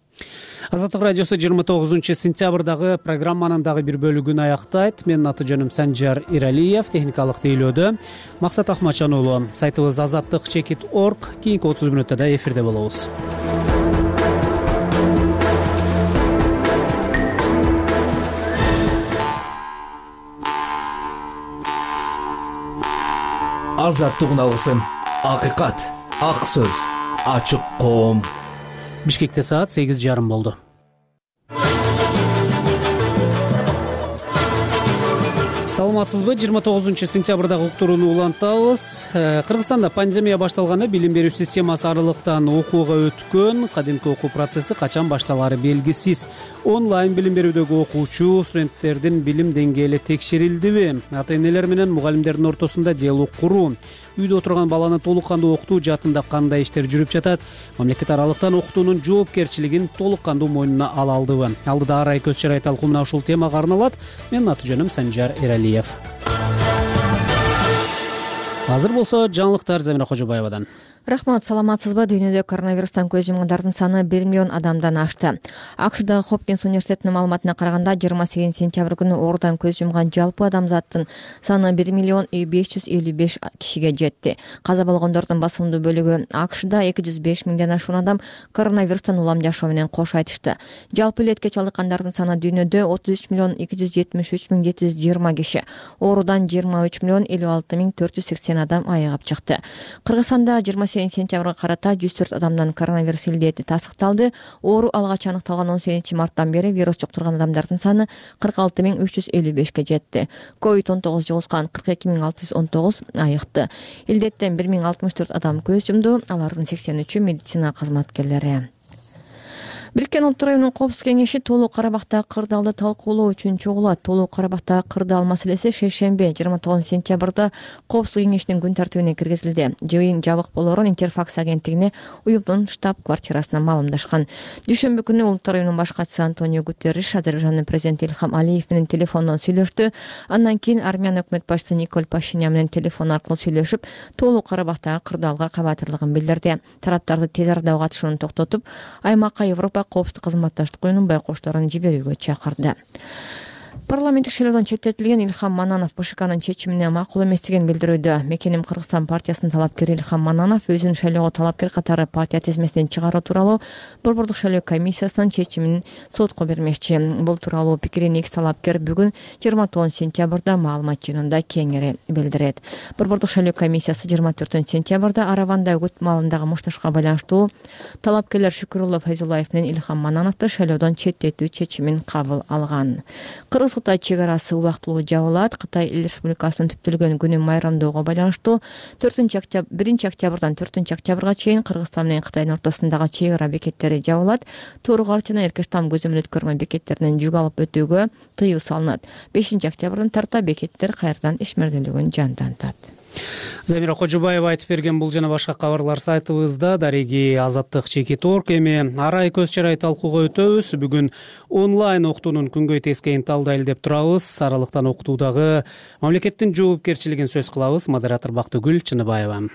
Азаттык радиосу жыйырма тогузунчу сентябрдагы программанын дагы бир бөлүгүн аяктайт. Менин аты жөнүм Санжар Иралиев, техникалык тейлөөдө Максат Ахматжан уулу. Сайтыбыз азаттык чекит точка орг. Кийинки отуз мүнөттө да эфирде болобуз. Азаттык уналгысы, акыйкат, ак сөз, ачык коом. Бишкекте саат сегиз жарым болду. Саламатсызбы? жыйырма тогузунчу сентябрдагы уктурууну улантабыз. Кыргызстанда пандемия башталганда билим берүү системасы аралыктан окууга өткөн. Кадимки окуу процесси качан башталары белгисиз. Онлайн билим берүүдөгү окуучу студенттердин билим деңгээли текшерилдиби? Ата-энелер менен мугалимдердин ортосунда диалог куруу, үйдө отурган баланы толук кандуу окутуу жаатында кандай иштер жүрүп жатат? Мамлекет аралыктан окутуунун жоопкерчилигин толук кандуу мойнуна ала алдыбы? Алдыда арай көз чарай талкуу мына ушул темага арналат. Менин аты жөнүм Санжар Иралиев. Азыр болсо жаңылыктар Замира Кожобаевадан. Рахмат, саламатсызбы? Дүйнөдө коронавирустан көз жумгандардын саны бир миллион адамдан ашты. АКШдагы Хопкинс университетинин маалыматына караганда, жыйырма сегизинчи сентябрь күнү оорудан көз жумган жалпы адамзаттын саны бир миллион беш жүз элүү беш кишиге жетти. Каза болгондордун басымдуу бөлүгү АКШда эки жүз беш миңден ашуун адам коронавирустан улам жашоо менен кош айтышты. Жалпы илетке чалдыккандардын саны дүйнөдө отуз үч миллион эки жүз жетимиш үч миң жети жүз жыйырма киши. Оорудан жыйырма үч миллион элүү алты миң төрт жүз сексен адам айыгып чыкты. Кыргызстанда жыйырма сегизинчи сентябрга карата жүз төрт адамдан коронавирус илдети тасыкталды. Оору алгач аныкталган он сегизинчи марттан бери вирус жуктурган адамдардын саны кырк алты миң үч жүз элүү бешке жетти. ковид он тогуз жугузган кырк эки миң алты жүз он тогуз айыкты. Илдеттен бир миң алтымыш төрт адам көз жумду. Алардын сексен үчү медицина кызматкерлери. Бириккен Улуттар уюмунун Коопсуздук кеңеши Тоолуу Карабактагы кырдаалды талкуулоо үчүн чогулат. Тоолуу Карабактагы кырдаал маселеси шейшембе жыйырма тогузунчу сентябрда Коопсуздук кеңешинин күн тартибине киргизилди. Жыйын жабык болоорун Интерфакс агенттигине уюмдун штаб-квартирасынан маалымдашкан. Дүйшөмбү күнү Улуттар уюмунун баш катчысы Антонио Гутерриш Азербайжандын президенти Илхам Алиев менен телефондон сүйлөштү. Андан кийин Армян өкмөт башчысы Николь Пашинян менен телефон аркылуу сүйлөшүп, Тоолуу Карабактагы кырдаалга кабатырлыгын билдирди. Тараптарды тез арада катышууну токтотуп, аймакка Европа коопсуздук кызматташтык уюмунун байкошторун жиберүүгө чакырды. Парламенттик шайлоодон четтетилген Илхам Мананов БШКнын чечимине макул эместигин билдирүүдө. Мекеним Кыргызстан партиясынын талапкери Илхам Мананов өзүн шайлоого талапкер катары партия тизмесинен чыгаруу тууралуу Борбордук шайлоо комиссиясынын чечимин сотко бермекчи. Бул тууралуу пикирин экс талапкер бүгүн жыйырма тогузунчу сентябрда маалымат жыйынында кеңири билдирет. Борбордук шайлоо комиссиясы жыйырма төртүнчү сентябрда Араванда өгүт маалындагы мушташка байланыштуу талапкерлер Шүкүрулло Файзуллаев менен Илхам Манановду шайлоодон четтетүү чечимин кабыл алган. Кыргыз-Кытай чек арасы убактылуу жабылат. Кытай Эл Республикасынын түптөлгөн күнүн майрамдоого байланыштуу төртүнчү октябрь биринчи октябрдан төртүнчү октябрга чейин Кыргызстан менен Кытайдын ортосундагы чек ара бекеттери жабылат. Тууругалч жана Эркештам көзөмөл өткөрмө бекеттеринен жүк алып өтүүгө тыюу салынат. бешинчи октябрдан тарта бекеттер кайрадан ишмерделүүгүн жандантат. Замира Кожобаева айтып берген бул жана башка кабарлар сайтыбызда. Дареги азаттык чекит точка орг. Эми арай көз чарай талкууга өтөбүз. Бүгүн онлайн окутуунун күнгөй тескейин талдайлы деп турабыз. Аралыктан окутуудагы мамлекеттин жоопкерчилигин сөз кылабыз. Модератор Бактыгүл Чыныбаева.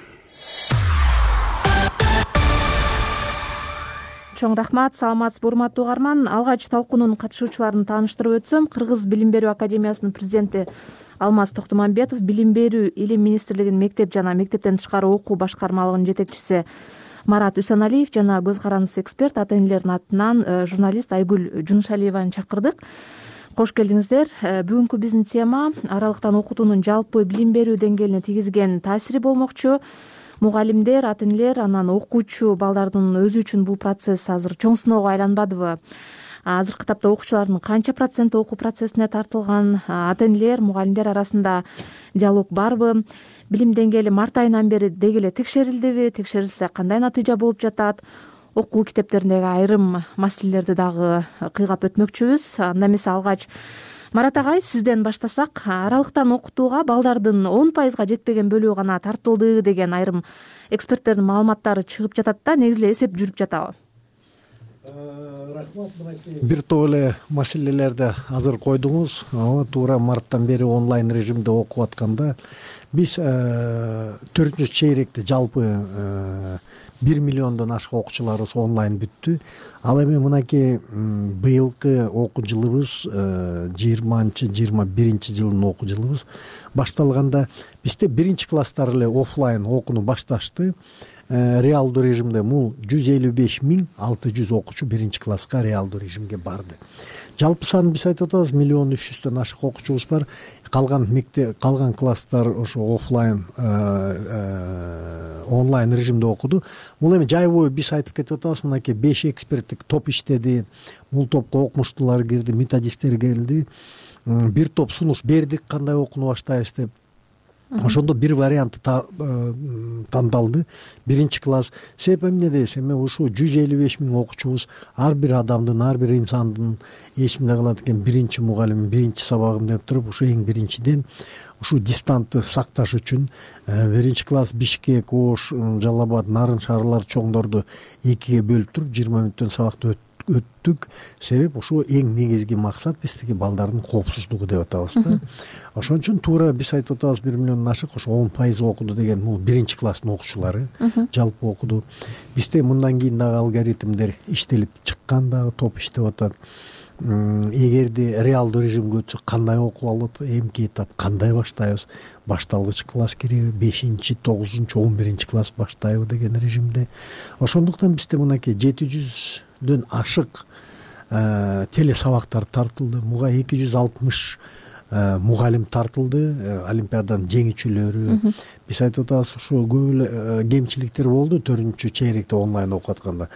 Чоң рахмат, саламатсызбы урматтуу угарман. Алгач талкуунун катышуучуларын тааныштырып өтсөм, Кыргыз билим берүү академиясынын президенти Алмаз Токтомамбетов, билим берүү илим министрлигинин мектеп жана мектептен тышкары окуу башкармалыгынын жетекчиси Марат Үсөналиев жана көз карандысыз эксперт ата-энелердин атынан журналист Айгүл Жунушалиеваны чакырдык. Кош келдиңиздер. Бүгүнкү биздин тема аралыктан окутуунун жалпы билим берүү деңгээлине тийгизген таасири болмокчу. Мугалимдер, ата-энелер, анан окуучу балдардын өзү үчүн бул процесс азыр чоң сыноого айланбадыбы? Азыркы тапта окуучулардын канча проценти окуу процессине тартылган? Ата-энелер, мугалимдер арасында диалог барбы? Билим деңгээли март айынан бери деги эле текшерилдиби? Текшерилсе кандай натыйжа болуп жатат? окуу китептериндеги айрым маселелерди дагы кыйгап өтмөкчүбүз. Анда эмесе алгач Марат агай, сизден баштасак, аралыктан окутууга балдардын он пайызга жетпеген бөлүгү гана тартылды деген айрым эксперттердин маалыматтары чыгып жатат да, негизи эле эсеп жүрүп жатабы? Рахмат, мынакей бир топ эле маселелерди азыр койдуңуз. Ооба, туура марттан бери онлайн режимде окуп атканда биз төртүнчү чейректе жалпы бир миллиондон ашык окуучуларыбыз онлайн бүттү. Ал эми мынакей быйылкы окуу жылыбыз жыйырманчы жыйырма биринчи жылдын окуу жылыбыз башталганда бизде биринчи класстар эле офлайн окууну башташты. Реалдуу режимде бул жүз элүү беш миң алты жүз окуучу биринчи класска реалдуу режимге барды. Жалпы сан биз айтып атабыз миллион үч жүздөн ашык окуучубуз бар. Калган мектеп, калган класстар ошо офлайн онлайн режимде окуду. Бул эми жай бою биз айтып кетип атабыз, мынакей беш эксперттик топ иштеди. Бул топко окумуштуулар кирди, методисттер келди. Бир топ сунуш бердик, кандай окууну баштайбыз деп. Ошондо бир вариант тандалды. Биринчи класс. Себеп эмне десе, эми ушу жүз элүү беш миң окуучубуз, ар бир адамдын, ар бир инсандын эсинде калат экен биринчи мугалимим, биринчи сабагым деп туруп, ушу эң биринчиден ушу дистантты сакташ үчүн биринчи класс Бишкек, Ош, Жалал Абад, Нарын шаарлар чоңдорду экиге бөлүп туруп жыйырма мүнөттөн сабакты өттүк. Себеп ушу эң негизги максат биздики балдардын коопсуздугу деп атабыз да. Ошон үчүн туура биз айтып атабыз бир миллиондон ашык, ошо он пайыз окуду деген бул биринчи класстын окуучулары жалпы окуду. Бизде мындан кийин дагы алгоритмдер иштелип чыккан, дагы топ иштеп атат. Эгерде реалдуу режимге өтсөк кандай окуп алат, эмки этап кандай баштайбыз, башталгыч класс кириби, бешинчи, тогузунчу, он биринчи класс баштайбы деген режимде. Ошондуктан бизде мынакей жети жүздөн ашык теле сабактар тартылды. Муга эки жүз алтымыш мугалим тартылды, олимпиаданын жеңүүчүлөрү. Биз айтып атабыз, ушу көп эле кемчиликтер болду төртүнчү чейректе онлайн окуп атканда.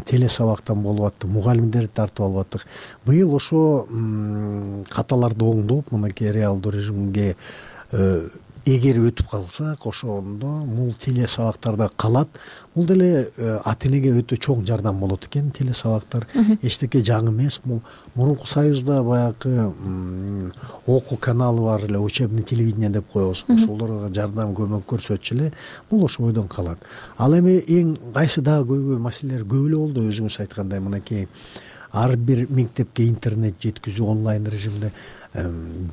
Теле сабактан болуп атты, мугалимдерди тартып алып аттык. Быйыл ошо каталарды оңдоп, мынакей реалдуу режимге эгер өтүп калсак, ошондо бул теле сабактарда калат. Бул деле ата энеге өтө чоң жардам болот экен теле сабактар. Эчтеке жаңы эмес. Бул мурунку союзда баягы окуу каналы бар эле, учебный телевидение деп коебуз. Ошолорго жардам көмөк көрсөтчү эле, бул ошо бойдон калат. Ал эми эң кайсы дагы көйгөй маселелер көп эле болду, өзүңүз айткандай мынакей ар бир мектепке интернет жеткизүү онлайн режимде.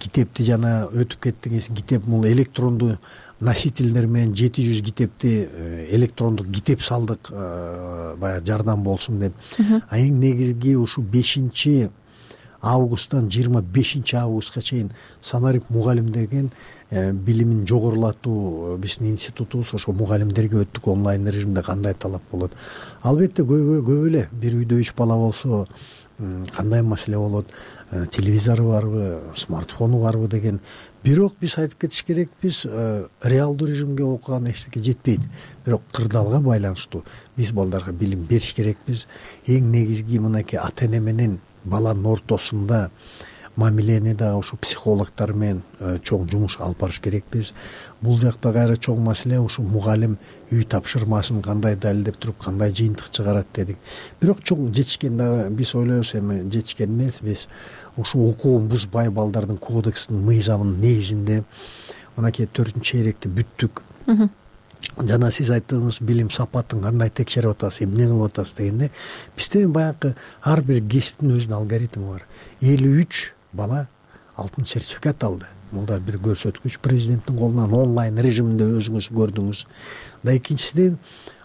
Китепти жана өтүп кеттиңиз, китеп бул электрондуу носительдер менен жети жүз китепти электрондук китеп салдык, баягы жардам болсун деп. А эң негизги ушу бешинчи августтан жыйырма бешинчи августка чейин санарип мугалим деген билимин жогорулатуу биздин институтубуз ошо мугалимдерге өттүк онлайн режимде кандай талап болот. Албетте көйгөй көп эле. Бир үйдө үч бала болсо кандай маселе болот, телевизору барбы, смартфону барбы деген. Бирок биз айтып кетиш керекпиз, реалдуу режимге окуган эчтеке жетпейт. Бирок кырдаалга байланыштуу биз балдарга билим бериш керекпиз. Эң негизги мынакей ата эне менен баланын ортосунда мамилени дагы ушу психологдор менен чоң жумуш алып барыш керекпиз. Бул жакта кайра чоң маселе ушу мугалим үй тапшырмасын кандай далилдеп туруп, кандай жыйынтык чыгарат дедик. Бирок чоң жетишкен дагы биз ойлойбуз, эми жетишкен эмес, биз ушу укугун бузбай балдардын кодексинин мыйзамынын негизинде мынакей төртүнчү чейректи бүттүк. Жана сиз айттыңыз, билим сапатын кандай текшерип атасыз, эмне кылып атасыз дегенде, бизде баягы ар бир кесиптин өзүнүн алгоритми бар. элүү үч бала алтын сертификат алды. Бул да бир көрсөткүч. Президенттин колунан онлайн режиминде өзүңүз көрдүңүз. Да экинчиден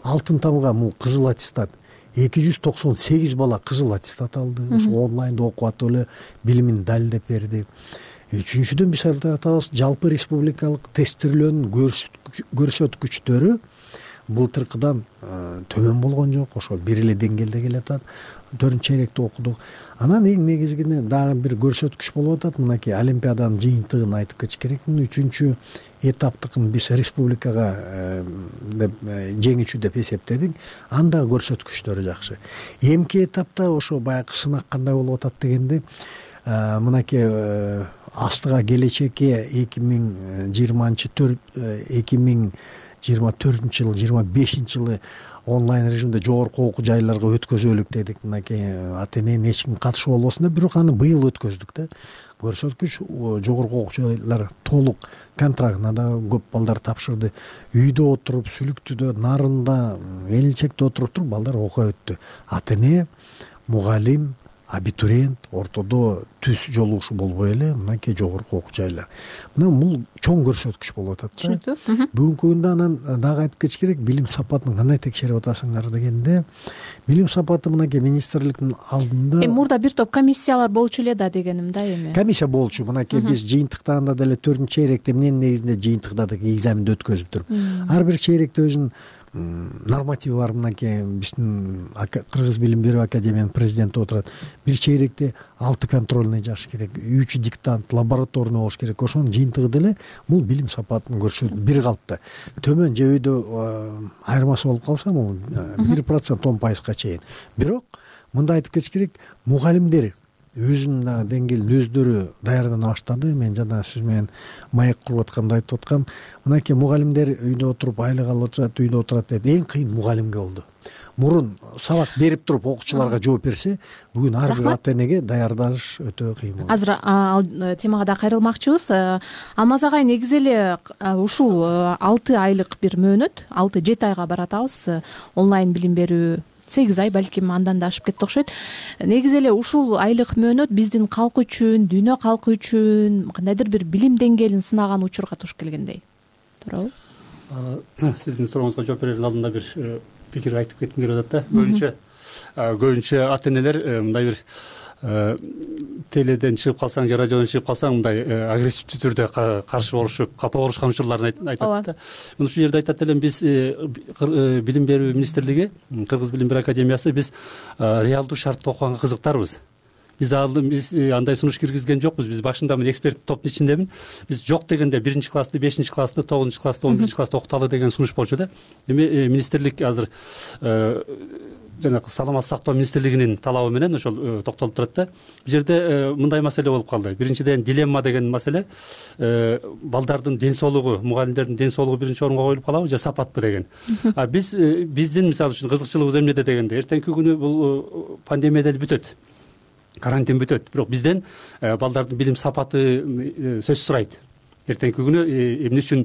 алтын тамга, бул кызыл аттестат. эки жүз токсон сегиз бала кызыл аттестат алды. Ушу онлайнда окуп атып эле билимин далилдеп берди. Үчүнчүдөн биз айтып атабыз, жалпы республикалык тестирлөөнүн көрсөткүчтөрү былтыркыдан төмөн болгон жок, ошо бир эле деңгээлде келатат. төртүнчү чейректе окудук. Анан эң негизгине дагы бир көрсөткүч болуп атат. Мынакей олимпиаданын жыйынтыгын айтып кетиш керекмин. үчүнчү этаптыкын биз республикага деп жеңүүчү деп эсептедик. Анда көрсөткүчтөрү жакшы. Эмки этапта ошо баягы сынак кандай болуп атат дегенде, мынакей астыга келечекке эки миң жыйырманчы төрт эки миң жыйырма төртүнчү жылы жыйырма бешинчи жылы онлайн режимде жогорку окуу жайларга өткөзөлүк дедик. Мынакей ата эне эч ким катышып болбосун деп, бирок аны быйыл өткөздүк да. Көрсөткүч жогорку окуу жайлар толук контрактына да көп балдар тапшырды. Үйдө отуруп, Сүлүктүдө, Нарында, Элинчекте отуруп туруп балдар окуя өттү. Ата эне, мугалим, абитуриент ортодо түз жолугушуу болбой эле мынакей жогорку окуу жайлар. Мына бул чоң көрсөткүч болуп атат да. Түшүнүктүү. Бүгүнкү күндө анан дагы айтып кетиш керек, билим сапатын кандай текшерип атасыңар дегенде, билим сапаты мынакей министрликтин алдында эми мурда бир топ комиссиялар болчу эле да дегеним да эми. Комиссия болчу. Мынакей биз жыйынтыктарында деле төртүнчү чейректе эмненин негизинде жыйынтыктардык экзаменди өткөзүп туруп, ар бир чейректе өзүнүн нормативи бар. Мынакей биздин Кыргыз билим берүү академиянын президенти отурат. Бир чейректе алты контрольный жаш керек, үч диктант, лабораторный болуш керек. Ошонун жыйынтыгы деле бул билим сапатын көрсөтөт. Бир калпта төмөн же өйдө айырмасы болуп калса, бул бир процент он пайызга чейин. Бирок мындай айтып кетиш керек, мугалимдер өзүнүн дагы деңгээлин өздөрү даярдана баштады. Мен жана сиз менен маек куруп атканда айтып аткам, мынакей мугалимдер үйдө отуруп айлык алып жатат, үйдө отурат деп. Эң кыйын мугалимге болду. Мурун сабак берип туруп окуучуларга жооп берсе, бүгүн ар бир ата энеге даярдаш өтө кыйын болду. Азыр ал темага да кайрылмакчыбыз. Алмаз агай, негизи эле ушул алты айлык бир мөөнөт, алты жети айга баратабыз онлайн билим берүү. сегиз ай балким андан да ашып кетти окшойт. Негизи эле ушул айлык мөөнөт биздин калк үчүн, дүйнө калкы үчүн кандайдыр бир билим деңгээлин сынаган учурга туш келгендей. Туурабы? Сиздин сурооңузга жооп берердин алдында бир пикир айтып кетким келип атат да. Көбүнчө көбүнчө ата энелер мындай бир теледен чыгып калсаң же радиодон чыгып калсаң мындай агрессивдүү түрдө каршы болушуп, капа болушкан учурларын айтат да. Мен ушул жерде айтат элем, биз билим берүү министрлиги, Кыргыз билим берүү академиясы биз реалдуу шартта окуганга кызыктарбыз. Биз биз андай сунуш киргизген жокпуз. Биз башында мен эксперт топтун ичиндемин. Биз жок дегенде биринчи классты, бешинчи классты, тогузунчу классты, он биринчи классты окуталы деген сунуш болчу да. Эми министрлик азыр жанагы саламаттык сактоо министрлигинин талабы менен ошол токтолуп турат да. Бул жерде мындай маселе болуп калды. Биринчиден дилемма деген маселе, балдардын ден соолугу, мугалимдердин ден соолугу биринчи орунга коюлуп калабы же сапатпы деген. А биз биздин мисалы үчүн кызыкчылыгыбыз эмнеде дегенде, эртеңки күнү бул пандемия деле бүтөт, карантин бүтөт, бирок бизден балдардын билим сапаты сөз сурайт. Эртеңки күнү эмне үчүн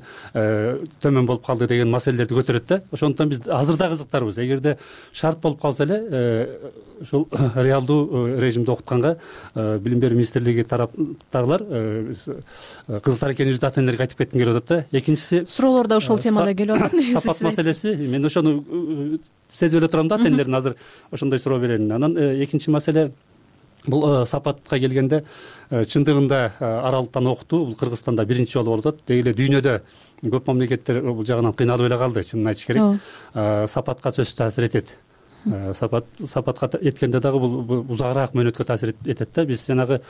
төмөн болуп калды деген маселелерди көтөрөт да. Ошондуктан биз азыр да кызыктарбыз. Эгерде шарт болуп калса эле ушул реалдуу режимде окутканга билим берүү министрлиги тараптагылар кызыктар экенибизди ата энелерге айтып кетким келип атат да. Экинчиси, суроолор да ошол темада келип атат. Сапат маселеси. Мен ошону сезип эле турам да, ата энелердин азыр ошондой суроо берерин. Анан экинчи маселе, бул сапатка келгенде чындыгында аралыктан окутуу бул Кыргызстанда биринчи жолу болуп атат. Деги эле дүйнөдө көп мамлекеттер бул жагынан кыйналып эле калды, чынын айтыш керек. Сапатка сөзсүз таасир этет. Сапат сапатка эткенде дагы бул узагыраак мөөнөткө таасир этет да. Биз жанагы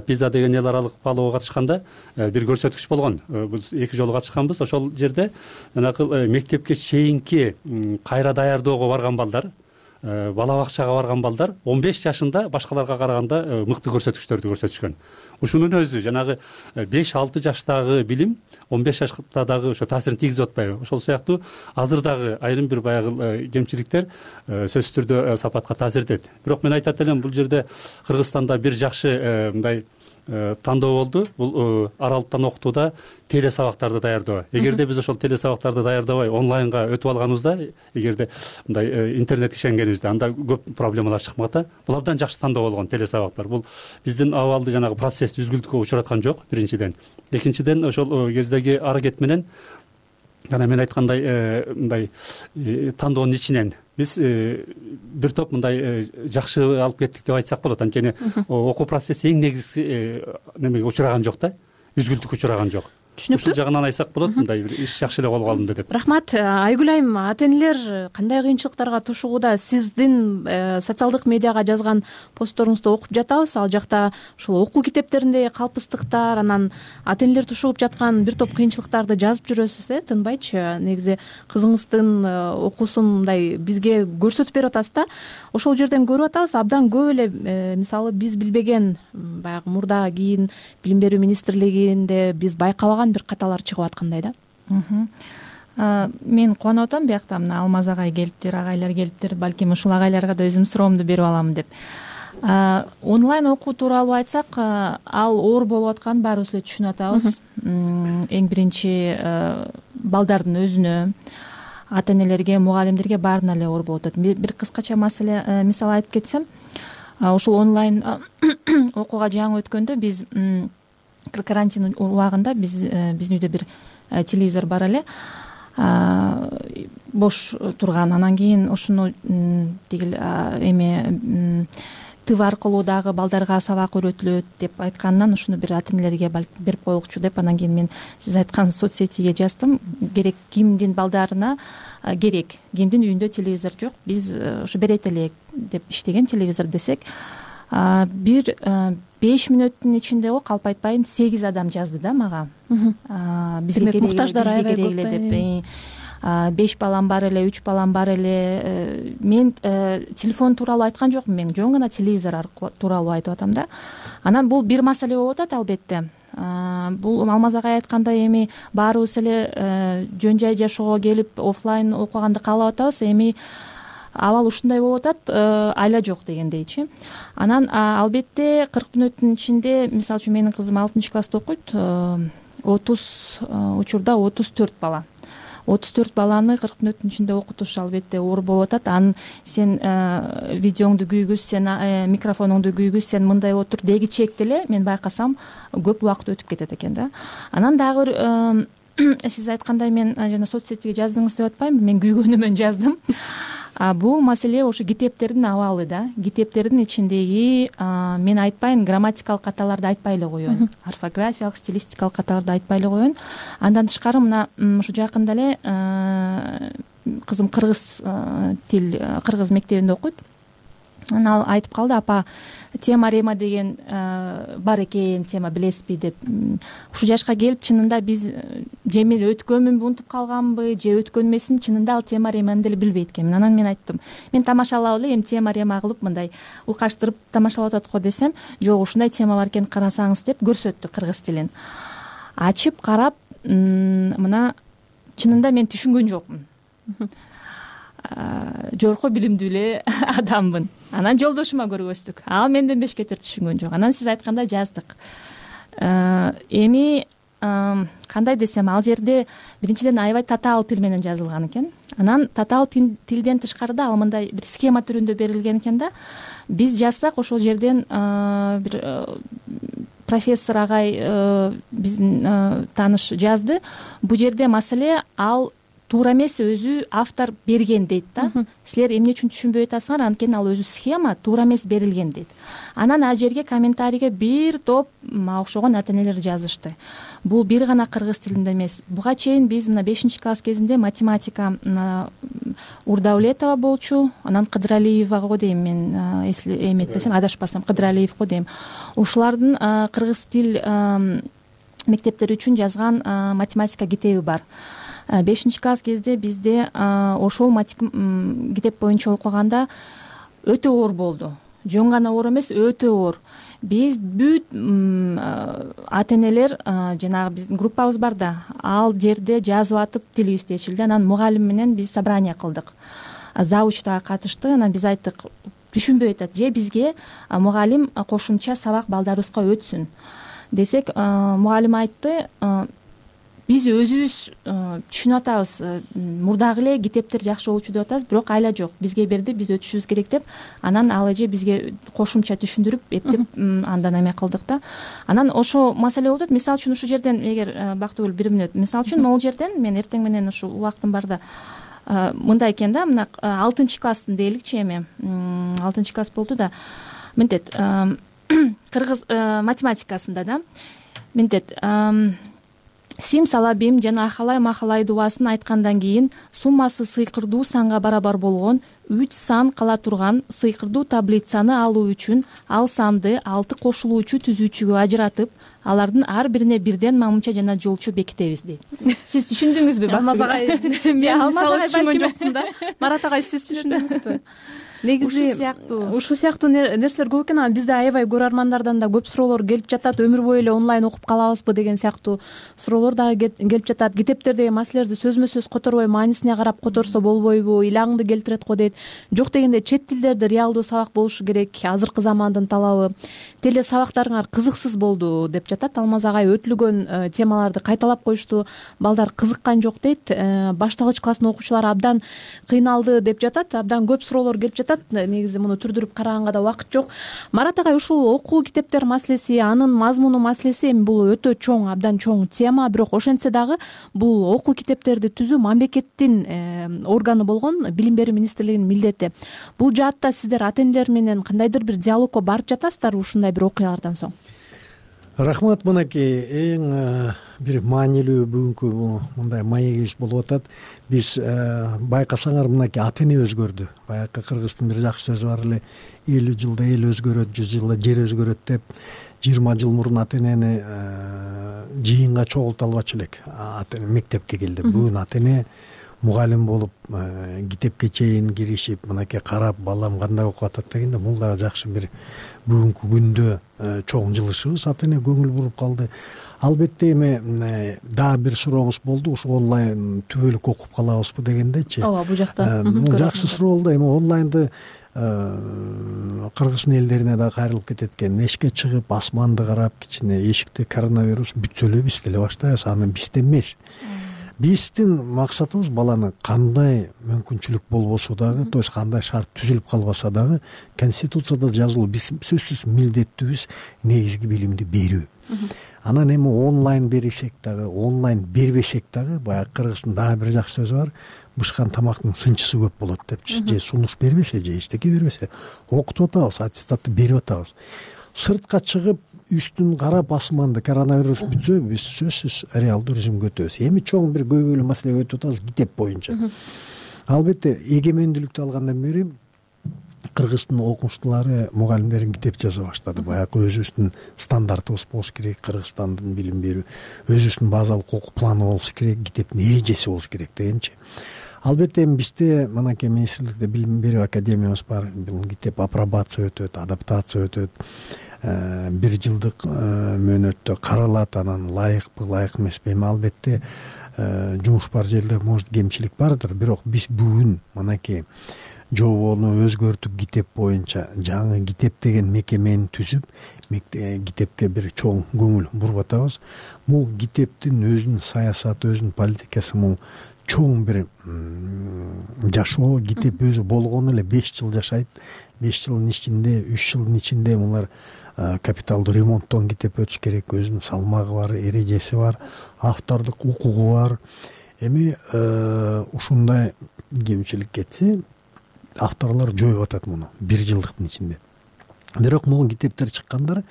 пиза деген эл аралык баалоого катышканда бир көрсөткүч болгон. Биз эки жолу катышканбыз. Ошол жерде жанагы мектепке чейинки кайра даярдоого барган балдар, бала бакчага барган балдар он беш жашында башкаларга караганда мыкты көрсөткүчтөрдү көрсөтүшкөн. Ушунун өзү жанагы беш алты жаштагы билим он беш жашта дагы ошо таасирин тийгизип атпайбы? Ошол сыяктуу азыр дагы айрым бир баягы кемчиликтер сөзсүз түрдө сапатка таасир этет. Бирок мен айтат элем, бул жерде Кыргызстанда бир жакшы мындай тандоо болду. Бул аралыктан окутууда теле сабактарды даярдоо. Эгерде биз ошол теле сабактарды даярдабай онлайнга өтүп алганыбызда, эгерде мындай интернет ишенгенибизде, анда көп проблемалар чыкмак да. Бул абдан жакшы тандоо болгон теле сабактар. Бул биздин абалды жанагы процессти үзгүлтүккө учураткан жок, биринчиден. Экинчиден, ошол кездеги аракет менен жана мен айткандай мындай тандоонун ичинен биз бир топ мындай жакшы алып кеттик деп айтсак болот. Анткени окуу процесси эң негизги немеге учураган жок да, үзгүлтүккө учураган жок. Түшүнүктүү. Ушул жагынан айтсак болот, мындай бир иш жакшы эле колго алынды деп. Рахмат. Айгүл айым, ата энелер кандай кыйынчылыктарга тушууда? Сиздин социалдык медиага жазган постторуңузду окуп жатабыз. Ал жакта ушул окуу китептеринде калпыстыктар, анан ата энелер тушуп жаткан бир топ кыйынчылыктарды жазып жүрөсүз, э, тынбайчы. Негизи кызыңыздын окуусун мындай бизге көрсөтүп берип атасыз да. Ошол жерден көрүп атабыз, абдан көп эле мисалы биз билбеген, баягы мурда кийин билим берүү министрлигинде биз байкабаган бир каталар чыгып аткандай да. мен кубанып атам биякта мына Алмаз агай келиптир, агайлар келиптир, балким ушул агайларга да өзүмдүн суроомду берип алам деп. Онлайн окуу тууралуу айтсак, ал оор болуп атканын баарыбыз эле түшүнүп атабыз. Эң биринчи балдардын өзүнө, ата энелерге, мугалимдерге баарына эле оор болуп атат. Бир кыскача маселе мисал айтып кетсем, ушул онлайн окууга жаңы өткөндө биз карантин убагында биз биздин үйдө бир телевизор бар эле, бош турган. Анан кийин ушуну тигил эме тв аркылуу дагы балдарга сабак үйрөтүлөт деп айтканынан ушуну бир ата энелерге берип коелукчу деп, анан кийин мен сиз айткан соц сетиге жаздым. Керек кимдин балдарына керек, кимдин үйүндө телевизор жок, биз ушу берет элек деп иштеген телевизор десек, бир беш мүнөттүн ичинде го калп айтпайын сегиз адам жазды да мага. Бизге керек, муктаждар аябай көп эле деп. Беш балам бар эле, үч балам бар эле. Мен телефон тууралуу айткан жокмун, мен жөн гана телевизор тууралуу айтып атам да. Анан бул бир маселе болуп атат албетте. Бул Алмаз агай айткандай эми баарыбыз эле жөн жай жашоого келип офлайн окуганды каалап атабыз. Эми абал ушундай болуп атат, айла жок дегендейчи. Анан албетте кырк мүнөттүн ичинде, мисалы үчүн менин кызым алтынчы класста окуйт, отуз учурда отуз төрт бала. отуз төрт баланы кырк мүнөттүн ичинде окутуш албетте оор болуп атат. Анын сен видеоңду күйгүз, сен микрофонуңду күйгүз, сен мындай отур деги чекти эле мен байкасам көп убакыт өтүп кетет экен да. Анан дагы бир сиз айткандай мен жана соц сетиге жаздыңыз деп атпаймынбы, мен күйгөнү мен жаздым. Бул маселе ошо китептердин абалы да. Китептердин ичиндеги мен айтпайын грамматикалык каталарды айтпай эле коеюн, орфографиялык, стилистикалык каталарды айтпай эле коеюн. Андан тышкары мына ушу жакында эле кызым кыргыз тил, кыргыз мектебинде окуйт. Анан ал айтып калды: апа, темарема деген бар экен, тема билесизби деп. Ушул жашка келип чынында биз жемил өткөнмүнбү, унутуп калганбы, же өткөн эмесмин, чынында ал темареманы деле билбейт экенмин. Анан мен айттым: мен тамашалап эле эми темарема кылып мындай уйкаштырып тамашалап атат го десем, жок, ушундай тема бар экен, карасаңыз деп көрсөттү кыргыз тилин. Ачып карап, мына чынында мен түшүнгөн жокмун. Жогорку билимдүү эле адаммын. Анан жолдошума көргөздүк. Ал менден бешкетир түшүнгөн жок. Анан сиз айткандай жаздык. Эми кандай десем, ал жерде биринчиден аябай татаал тил менен жазылган экен. Анан татаал тилден тышкарыда ал мындай бир схема түрүндө берилген экен да. Биз жазсак ошол жерден бир профессор агай биздин тааныш жазды. Бул жерде маселе ал туура эмес, өзү автор берген дейт да. Силер эмне үчүн түшүнбөй атасыңар, анткени ал өзү схема туура эмес берилген дейт. Анан ал жерге комментарийге бир топ мага окшогон ата энелер жазышты. Бул бир гана кыргыз тилинде эмес. Буга чейин биз мына бешинчи класс кезинде математика Урдаулетова болчу, анан Кыдыралиева го дейм, мен эметпесем, адашпасам, Кыдыралиев го дейм. Ушулардын кыргыз тил мектептери үчүн жазган математика китеби бар. бешинчи класс кезде бизде ошол китеп боюнча окуганда өтө оор болду. Жөн гана оор эмес, өтө оор. Биз бүт ата энелер, жанагы биздин группабыз бар да, ал жерде жазып атып тилибиз чечилди. Анан мугалим менен биз собрание кылдык. Завуч дагы катышты. Анан биз айттык, түшүнбөй атат, же бизге мугалим кошумча сабак балдарыбызга өтсүн десек, мугалим айтты: биз өзүбүз түшүнүп атабыз, мурдагы эле китептер жакшы болчу деп атабыз, бирок айла жок, бизге берди, биз өтүшүбүз керек деп. Анан ал эже бизге кошумча түшүндүрүп, эптеп андан эме кылдык да. Анан ошо маселе болуп атат. Мисалы үчүн ушул жерден, эгер Бактыгүл бир мүнөт, мисалы үчүн могул жерден мен эртең менен ушу убактым барда мындай экен да, мына алтынчы класстын дейли,чи эми алтынчы класс болду да, мынтет кыргыз математикасында да мынтет Сим салабим жана ахалай махалай дубасын айткандан кийин суммасы сыйкырдуу санга барабар болгон үч сан кала турган сыйкырдуу таблицаны алуу үчүн ал санды алты кошулуучу түзүүчүгө ажыратып, алардын ар бирине бирден мамынча жана жолчу бекитебиз дейт. Сиз түшүндүңүзбү? Алмаз агай, мен мисалы түшүнгөн жокмун да. Марат агай, сиз түшүндүңүзбү? Негизи ушул сыяктуу нерселер көп экен. Анан бизде аябай көрөрмандардан да көп суроолор келип жатат. Өмүр бою эле онлайн окуп калабызбы деген сыяктуу суроолор дагы келип жатат. Китептердеги маселелерди сөзмө сөз которбой, маанисине карап которсо болбойбу, ыйлагыңды келтирет го дейт. Жок дегенде чет тилдерде реалдуу сабак болушу керек, азыркы замандын талабы. Теле сабактарыңар кызыксыз болду деп жатат. Алмаз агай өтүлгөн темаларды кайталап коюшту. Балдар кызыккан жок дейт. Башталгыч класстын окуучулары абдан кыйналды деп жатат. Абдан көп суроолор келип жатат. Негизи муну түрдүрүп караганга да убакыт жок. Марат агай, ушул окуу китептер маселеси, анын мазмуну маселеси эми бул өтө чоң, абдан чоң тема. Бирок ошентсе дагы бул окуу китептерди түзүү мамлекеттин органы болгон Билим берүү министрлигинин милдети. Бул жаатта сиздер ата энелер менен кандайдыр бир диалогко барып жатасыздарбы ушундай бир окуялардан соң? Рахмат. Мынакей эң бир маанилүү бүгүнкү мындай маегибиз болуп атат. Биз байкасаңар, мынакей ата эне өзгөрдү. Баягы кыргыздын бир жакшы сөзү бар эле: элүү жылда эл өзгөрөт, жүз жылда жер өзгөрөт деп. жыйырма жыл мурун ата энени жыйынга чогулта албачу элек. Ата эне мектепке келди. Бүгүн ата эне мугалим болуп, китепке чейин киришип, мынакей карап, балам кандай окуп атат дегенде, бул дагы жакшы бир бүгүнкү күндө чоң жылышыбыз. Ата эне көңүл буруп калды. Албетте эми дагы бир сурооңуз болду, ушу онлайн түбөлүк окуп калабызбы дегендечи. Ооба, бул жакта. Бул жакшы суроо болду. Эми онлайнды кыргыздын элдерине да кайрылып кетет экен. Эшикке чыгып, асманды карап, кичине эшикте коронавирус бүтсө эле биз деле баштайбыз. Аны бизде эмес. Биздин максатыбыз баланы кандай мүмкүнчүлүк болбосо дагы, то есть кандай шарт түзүлүп калбаса дагы, конституцияда жазылуу биз сөзсүз милдеттүүбүз негизги билимди берүү. Анан эми онлайн берсек дагы, онлайн бербесек дагы, баягы кыргыздын дагы бир жакшы сөзү бар: бышкан тамактын сынчысы көп болот депчи. Же сунуш бербесе, же эчтеке бербесе, окутуп атабыз, аттестатты берип атабыз. Сыртка чыгып, үстүн карап, асманды коронавирус бүтсө, биз сөзсүз реалдуу режимге өтөбүз. Эми чоң бир көйгөйлүү маселеге өтүп атабыз китеп боюнча. Албетте эгемендүүлүктү алгандан бери кыргыздын окумуштуулары, мугалимдери китеп жаза баштады. Баягы өзүбүздүн стандартыбыз болуш керек, Кыргызстандын билим берүү, өзүбүздүн базалык окуу планы болуш керек, китептин эрежеси болуш керек дегенчи. Албетте эми бизде мынакей министрликте билим берүү академиябыз бар. Бул китеп апробация өтөт, адаптация өтөт. Бир жылдык мөөнөттө каралат, анан ылайыкпы, ылайык эмеспи. Эми албетте жумуш бар жерде может кемчилик бардыр, бирок биз бүгүн мынакей жобону өзгөртүп, китеп боюнча жаңы китеп деген мекемени түзүп, китепке бир чоң көңүл буруп атабыз. Бул китептин өзүнүн саясаты, өзүнүн политикасы, бул чоң бир жашоо. Китеп өзү болгону эле беш жыл жашайт. беш жылдын ичинде, үч жылдын ичинде булар капиталдуу ремонттон китеп өтүш керек. Өзүнүн салмагы бар, эрежеси бар, автордук укугу бар. Эми ушундай кемчилик кетсе, авторлор жоюп атат муну бир жылдыктын ичинде. Бирок могу китептер чыккандар,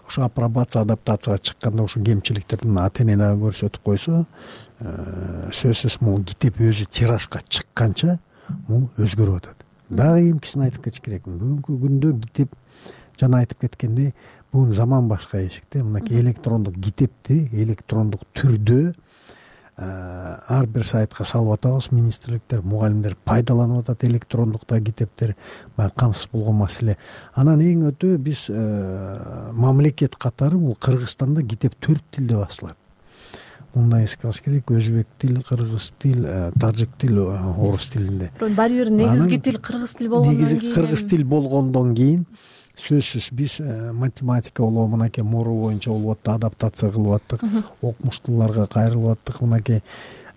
ошо апробация, адаптацияга чыкканда ошо кемчиликтердин ата эне дагы көрсөтүп койсо, сөзсүз могу китеп өзү тиражга чыкканча бул өзгөрүп атат. Дагы эмкисин айтып кетиш керекмин. Бүгүнкү күндө китеп, жана айтып кеткендей, бүгүн заман башка эшикте. Мынакей электрондук китепти электрондук түрдө ар бир сайтка салып атабыз. Министрликтер, мугалимдер пайдаланып атат электрондукта китептер. Баягы камсыз болгон маселе. Анан эң өтө биз мамлекет катары бул Кыргызстанда китеп төрт тилде басылат. Мындай эске алыш керек: өзбек тил, кыргыз тил, тажик тил, орус тилинде. Баары бир негизги тил кыргыз тил болгондон кийин. Негизги кыргыз тил болгондон кийин сөзсүз биз математика болобу, мынакей муру боюнча болуп атты, адаптация кылып аттык, окумуштууларга кайрылып аттык. Мынакей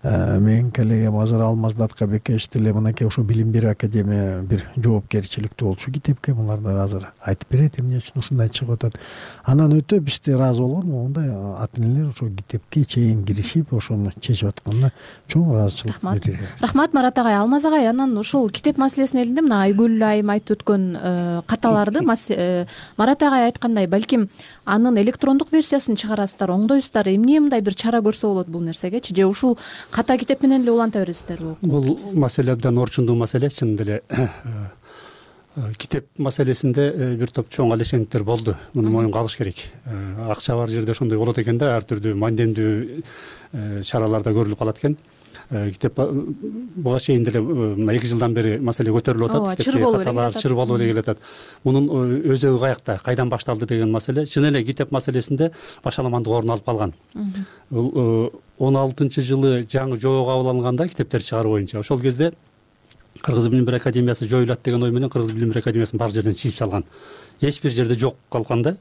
менин коллегам азыр Алмаздат Кабекеш деле мынакей ошо билим берүү академия бир жоопкерчиликтүү болчу китепке. Булар да азыр айтып берет эмне үчүн ушундай чыгып атат. Анан өтө бизде ыраазы болгон мондай ата энелер ошо китепке чейин киришип, ошону чечип атканына чоң ыраазычылык билдирет. Рахмат Марат агай. Алмаз агай, анан ушул китеп маселесине келгенде мына Айгүл айым айтып өткөн каталарды Марат агай айткандай, балким анын электрондук версиясын чыгарасыздар, оңдойсуздар. Эмне мындай бир чара көрсө болот бул нерсегечи? Же ушул ката китеп менен эле уланта бересиздерби? Бул маселе абдан орчундуу маселе. Чын эле китеп маселесинде бир топ чоң алешендиктер болду. Муну моюнга алыш керек. Акча бар жерде ошондой болот экен да, ар түрдүү мандемдүү чараларда көрүлүп калат экен. Китеп буга чейин деле мына эки жылдан бери маселе көтөрүлүп атат. Каталар чыр болуп эле келатат. Мунун өзөгү каякта, кайдан башталды деген маселе. Чын эле китеп маселесинде башаламандык орун алып калган. Бул он алтынчы жылы жаңы жобо кабыл алынганда китептер чыгаруу боюнча ошол кезде Кыргыз билим берүү академиясы жоюлат деген ой менен Кыргыз билим берүү академиясын бар жерден чыгып салган. Эч бир жерде жок калган да.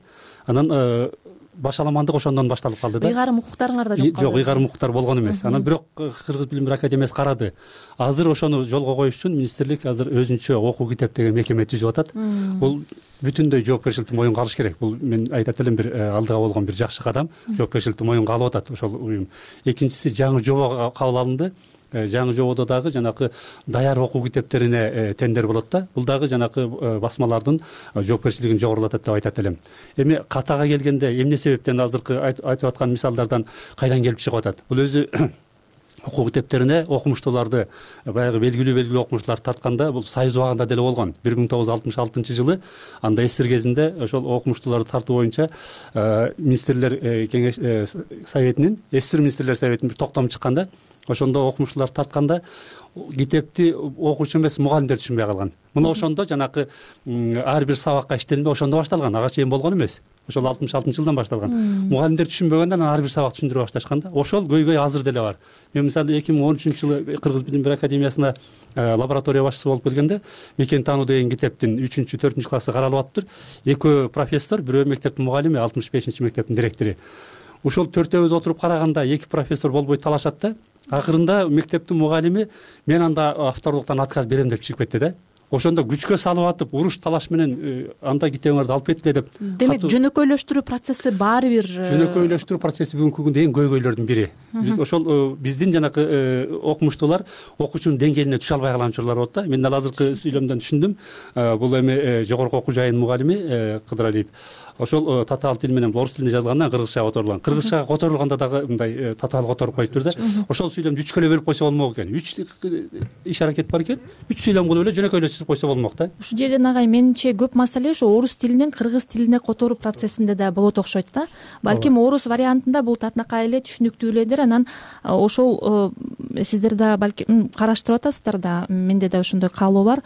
Анан башаламандык ошондон башталып калды да. Ыйгарым укуктарыңар да жок калды. Жок, ыйгарым укуктар болгон эмес. Анан бирок Кыргыз билим берүү академиясы карады. Азыр ошону жолго коюш үчүн министрлик азыр өзүнчө окуу китеп деген мекеме түзүп атат. Бул бүтүндөй жоопкерчиликти моюнга алыш керек. Бул мен айтат элем бир алдыга болгон бир жакшы кадам. Жоопкерчиликти моюнга алып атат ошол уюм. Экинчиси жаңы жобо кабыл алынды. Жаңы жободо дагы жанакы даяр окуу китептерине тендер болот да. Бул дагы жанакы басмалардын жоопкерчилигин жогорулатат деп айтат элем. Эми катага келгенде эмне себептен азыркы айтып аткан мисалдардан кайдан келип чыгып атат? Бул өзү окуу китептерине окумуштууларды баягы белгилүү белгилүү окумуштууларды тартканда бул Союз убагында деле болгон. бир миң тогуз жүз алтымыш алтынчы жылы анда эсир кезинде ошол окумуштууларды тартуу боюнча министрлер кеңеш советинин, эсир министрлер советинин бир токтому чыкканда, ошондо окумуштууларды тартканда китепти окуучу эмес мугалимдер түшүнбөй калган. Мына ошондо жанакы ар бир сабакка иштелме ошондо башталган. Ага чейин болгон эмес. Ошол алтымыш алтынчы жылдан башталган. Мугалимдер түшүнбөгөндө анан ар бир сабак түшүндүрө башташкан да. Ошол көйгөй азыр деле бар. Мен мисалы эки миң он үчүнчү жылы Кыргыз билим берүү академиясына лаборатория башчысы болуп келгенде мекен таануу деген китептин үчүнчү төртүнчү классы каралып атыптыр. Экөө профессор, бирөө мектептин мугалими, алтымыш бешинчи мектептин директору. Ошол төртөөбүз отуруп караганда эки профессор болбой талашат да. Акырында мектептин мугалими мен анда авторлуктан отказ берем деп чыгып кетти да. Ошондо күчкө салып атып, уруш талаш менен анда китебиңерди алып кеткиле деп. Демек, жөнөкөйлөштүрүү процесси баары бир жөнөкөйлөштүрүү процесси бүгүнкү күндө эң көйгөйлөрдүн бири. Биз ошол биздин жанакы окумуштуулар окуучунун деңгээлине түшө албай калган учурлар болот да. Мен ал азыркы сүйлөмдөн түшүндүм. Бул эми жогорку окуу жайынын мугалими Кыдыралиев. Ошол татаал тил менен орус тилинде жазылгандан кыргызчага которулган. Кыргызчага которулганда дагы мындай татаал которуп коюптур да. Ошол сүйлөмдү үчкө эле бөлүп койсо болмок экен. Үч иш аракет бар экен. Үч сүйлөм кылып эле жөнөкөйлөшүп койсо болмок да. Ушул жерден агай менимче көп маселе ошо орус тилинен кыргыз тилине которуу процессинде да болот окшойт да. Балким орус вариантында бул татынакай эле түшүнүктүү эледир. Анан ошол сиздер да балким караштырып атасыздар да. Менде да ошондой каалоо бар.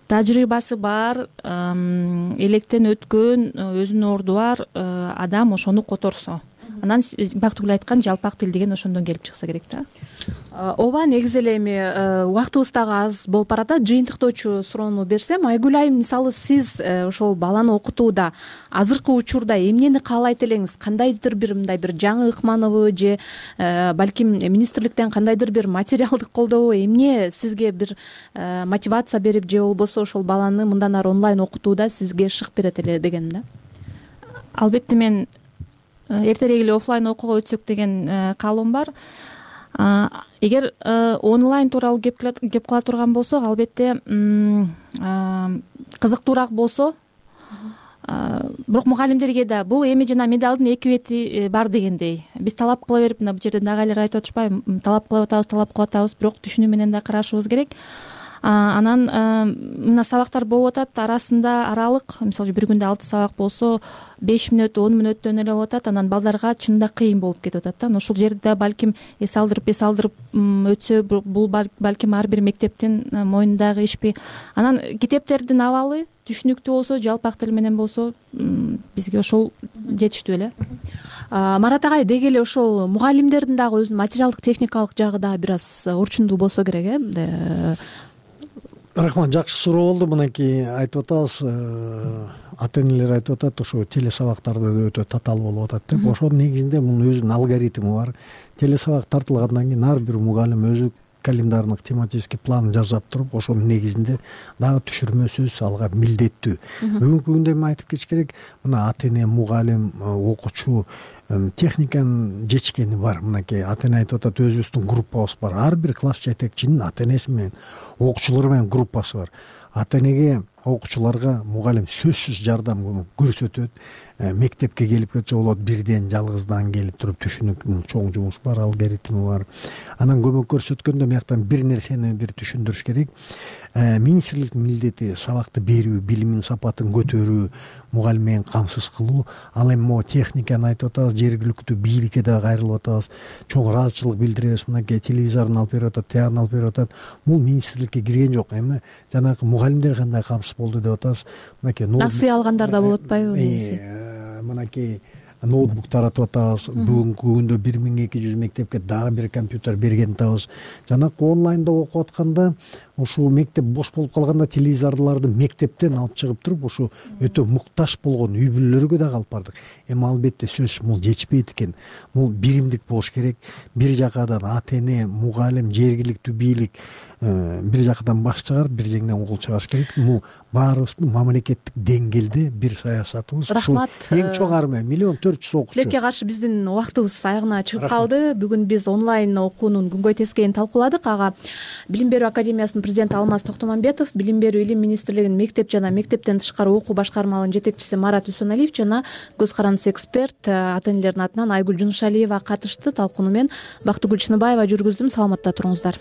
Тажрыйбасы бар, электен өткөн, өзүнүн орду бар адам ошону которсо, анан Бактыгүл айткан жалпак тил деген ошондон келип чыкса керек да. Ооба, негизи эле эми убактыбыз дагы аз болуп барат. Жыйынтыктоочу суроону берсем, Айгүл айым, мисалы сиз ошол баланы окутууда азыркы учурда эмнени каалайт элеңиз? Кандайдыр бир мындай бир жаңы ыкманыбы же балким министрликтен кандайдыр бир материалдык колдообу, эмне сизге бир мотивация берип же болбосо ошол баланы мындан ары онлайн окутууда сизге шык берет эле дегеним да. Албетте мен эртерээк эле офлайн окууга өтсөк деген каалоом бар. Эгер онлайн тууралуу кеп кала турган болсок, албетте кызыктуураак болсо, бирок мугалимдерге да бул эми жана медалдын эки бети бар дегендей. Биз талап кыла берип, мына бул жерде дагы айтып атышпайбы, талап кылып атабыз, талап кылып атабыз, бирок түшүнүү менен да карашыбыз керек. Анан мына сабактар болуп атат, арасында аралык, мисалы бир күндө алты сабак болсо, беш мүнөт, он мүнөттөн эле болуп атат. Анан балдарга чынында кыйын болуп кетип атат да. Ошол жерде балким эс алдырып, эс алдырып өтсө, бул балким ар бир мектептин мойнундагы ишпи. Анан китептердин абалы түшүнүктүү болсо, жалпак тил менен болсо, бизге ошол жетиштүү эле. Марат агай, деги эле ошол мугалимдердин дагы өзүнүн материалдык техникалык жагы да бир аз орчундуу болсо керек, э? Рахмат, жакшы суроо болду. Мынакей айтып атабыз, ата энелер айтып атат, ошо телесабактарда өтө татаал болуп атат деп. Ошонун негизинде мунун өзүнүн алгоритми бар. Телесабак тартылгандан кийин ар бир мугалим өзү календарный тематический план жасап туруп, ошонун негизинде дагы түшүрмө сөз алга милдеттүү. Бүгүнкү күндө эми айтып кетиш керек, мына ата эне, мугалим, окуучу техниканын жетишкени бар. Мынакей ата эне айтып атат, өзүбүздүн группабыз бар. Ар бир класс жетекчинин ата энеси менен окуучулары менен группасы бар. Ата энеге, окуучуларга мугалим сөзсүз жардам көрсөтөт. Мектепке келип кетсе болот, бирден жалгыздан келип туруп түшүнүк, чоң жумуш бар, алгоритми бар. Анан көмөк көрсөткөндө мыяктан бир нерсени бир түшүндүрүш керек. Министрликтин милдети сабакты берүү, билимин сапатын көтөрүү, мугалим менен камсыз кылуу. Ал эми могу техниканы айтып атабыз, жергиликтүү бийликке да кайрылып атабыз. Чоң ыраазычылык билдиребиз. Мынакей телевизорун алып берип атат, тиягын алып берип атат. Бул министрликке кирген жок. Эми жанагы мугалимдер кандай камсыз болду деп атабыз. Мынакей насыя алгандар да болуп атпайбы? Мынакей ноутбук таратып атабыз. Бүгүнкү күндө бир миң эки жүз мектепке дагы бир компьютер берген атабыз. Жанагы онлайнда окуп атканда, ушул мектеп бош болуп калганда телевизорлорду мектептен алып чыгып туруп, ушу өтө муктаж болгон үй бүлөлөргө да алып бардык. Эми албетте сөзсүз бул жетишпейт экен. Бул биримдик болуш керек. Бир жакадан ата эне, мугалим, жергиликтүү бийлик бир жакадан баш чыгарып, бир жеңден кол чыгарыш керек. Бул баарыбыздын мамлекеттик деңгээлде бир саясатыбыз. Рахмат. Эң чоң армия миллион төрт жүз окуучу. Тилекке каршы биздин убактыбыз аягына чыгып калды. Бүгүн биз онлайн окуунун күнгөй тескейин талкууладык. Ага Билим берүү академиясынын президенти Алмаз Токтомамбетов, Билим берүү илим министрлигинин мектеп жана мектептен тышкары окуу башкармалыгынын жетекчиси Марат Үсөналиев жана көз карандысыз эксперт ата энелердин атынан Айгүл Жунушалиева катышты. Талкууну мен Бактыгүл Чыныбаева жүргүздүм. Саламатта туруңуздар.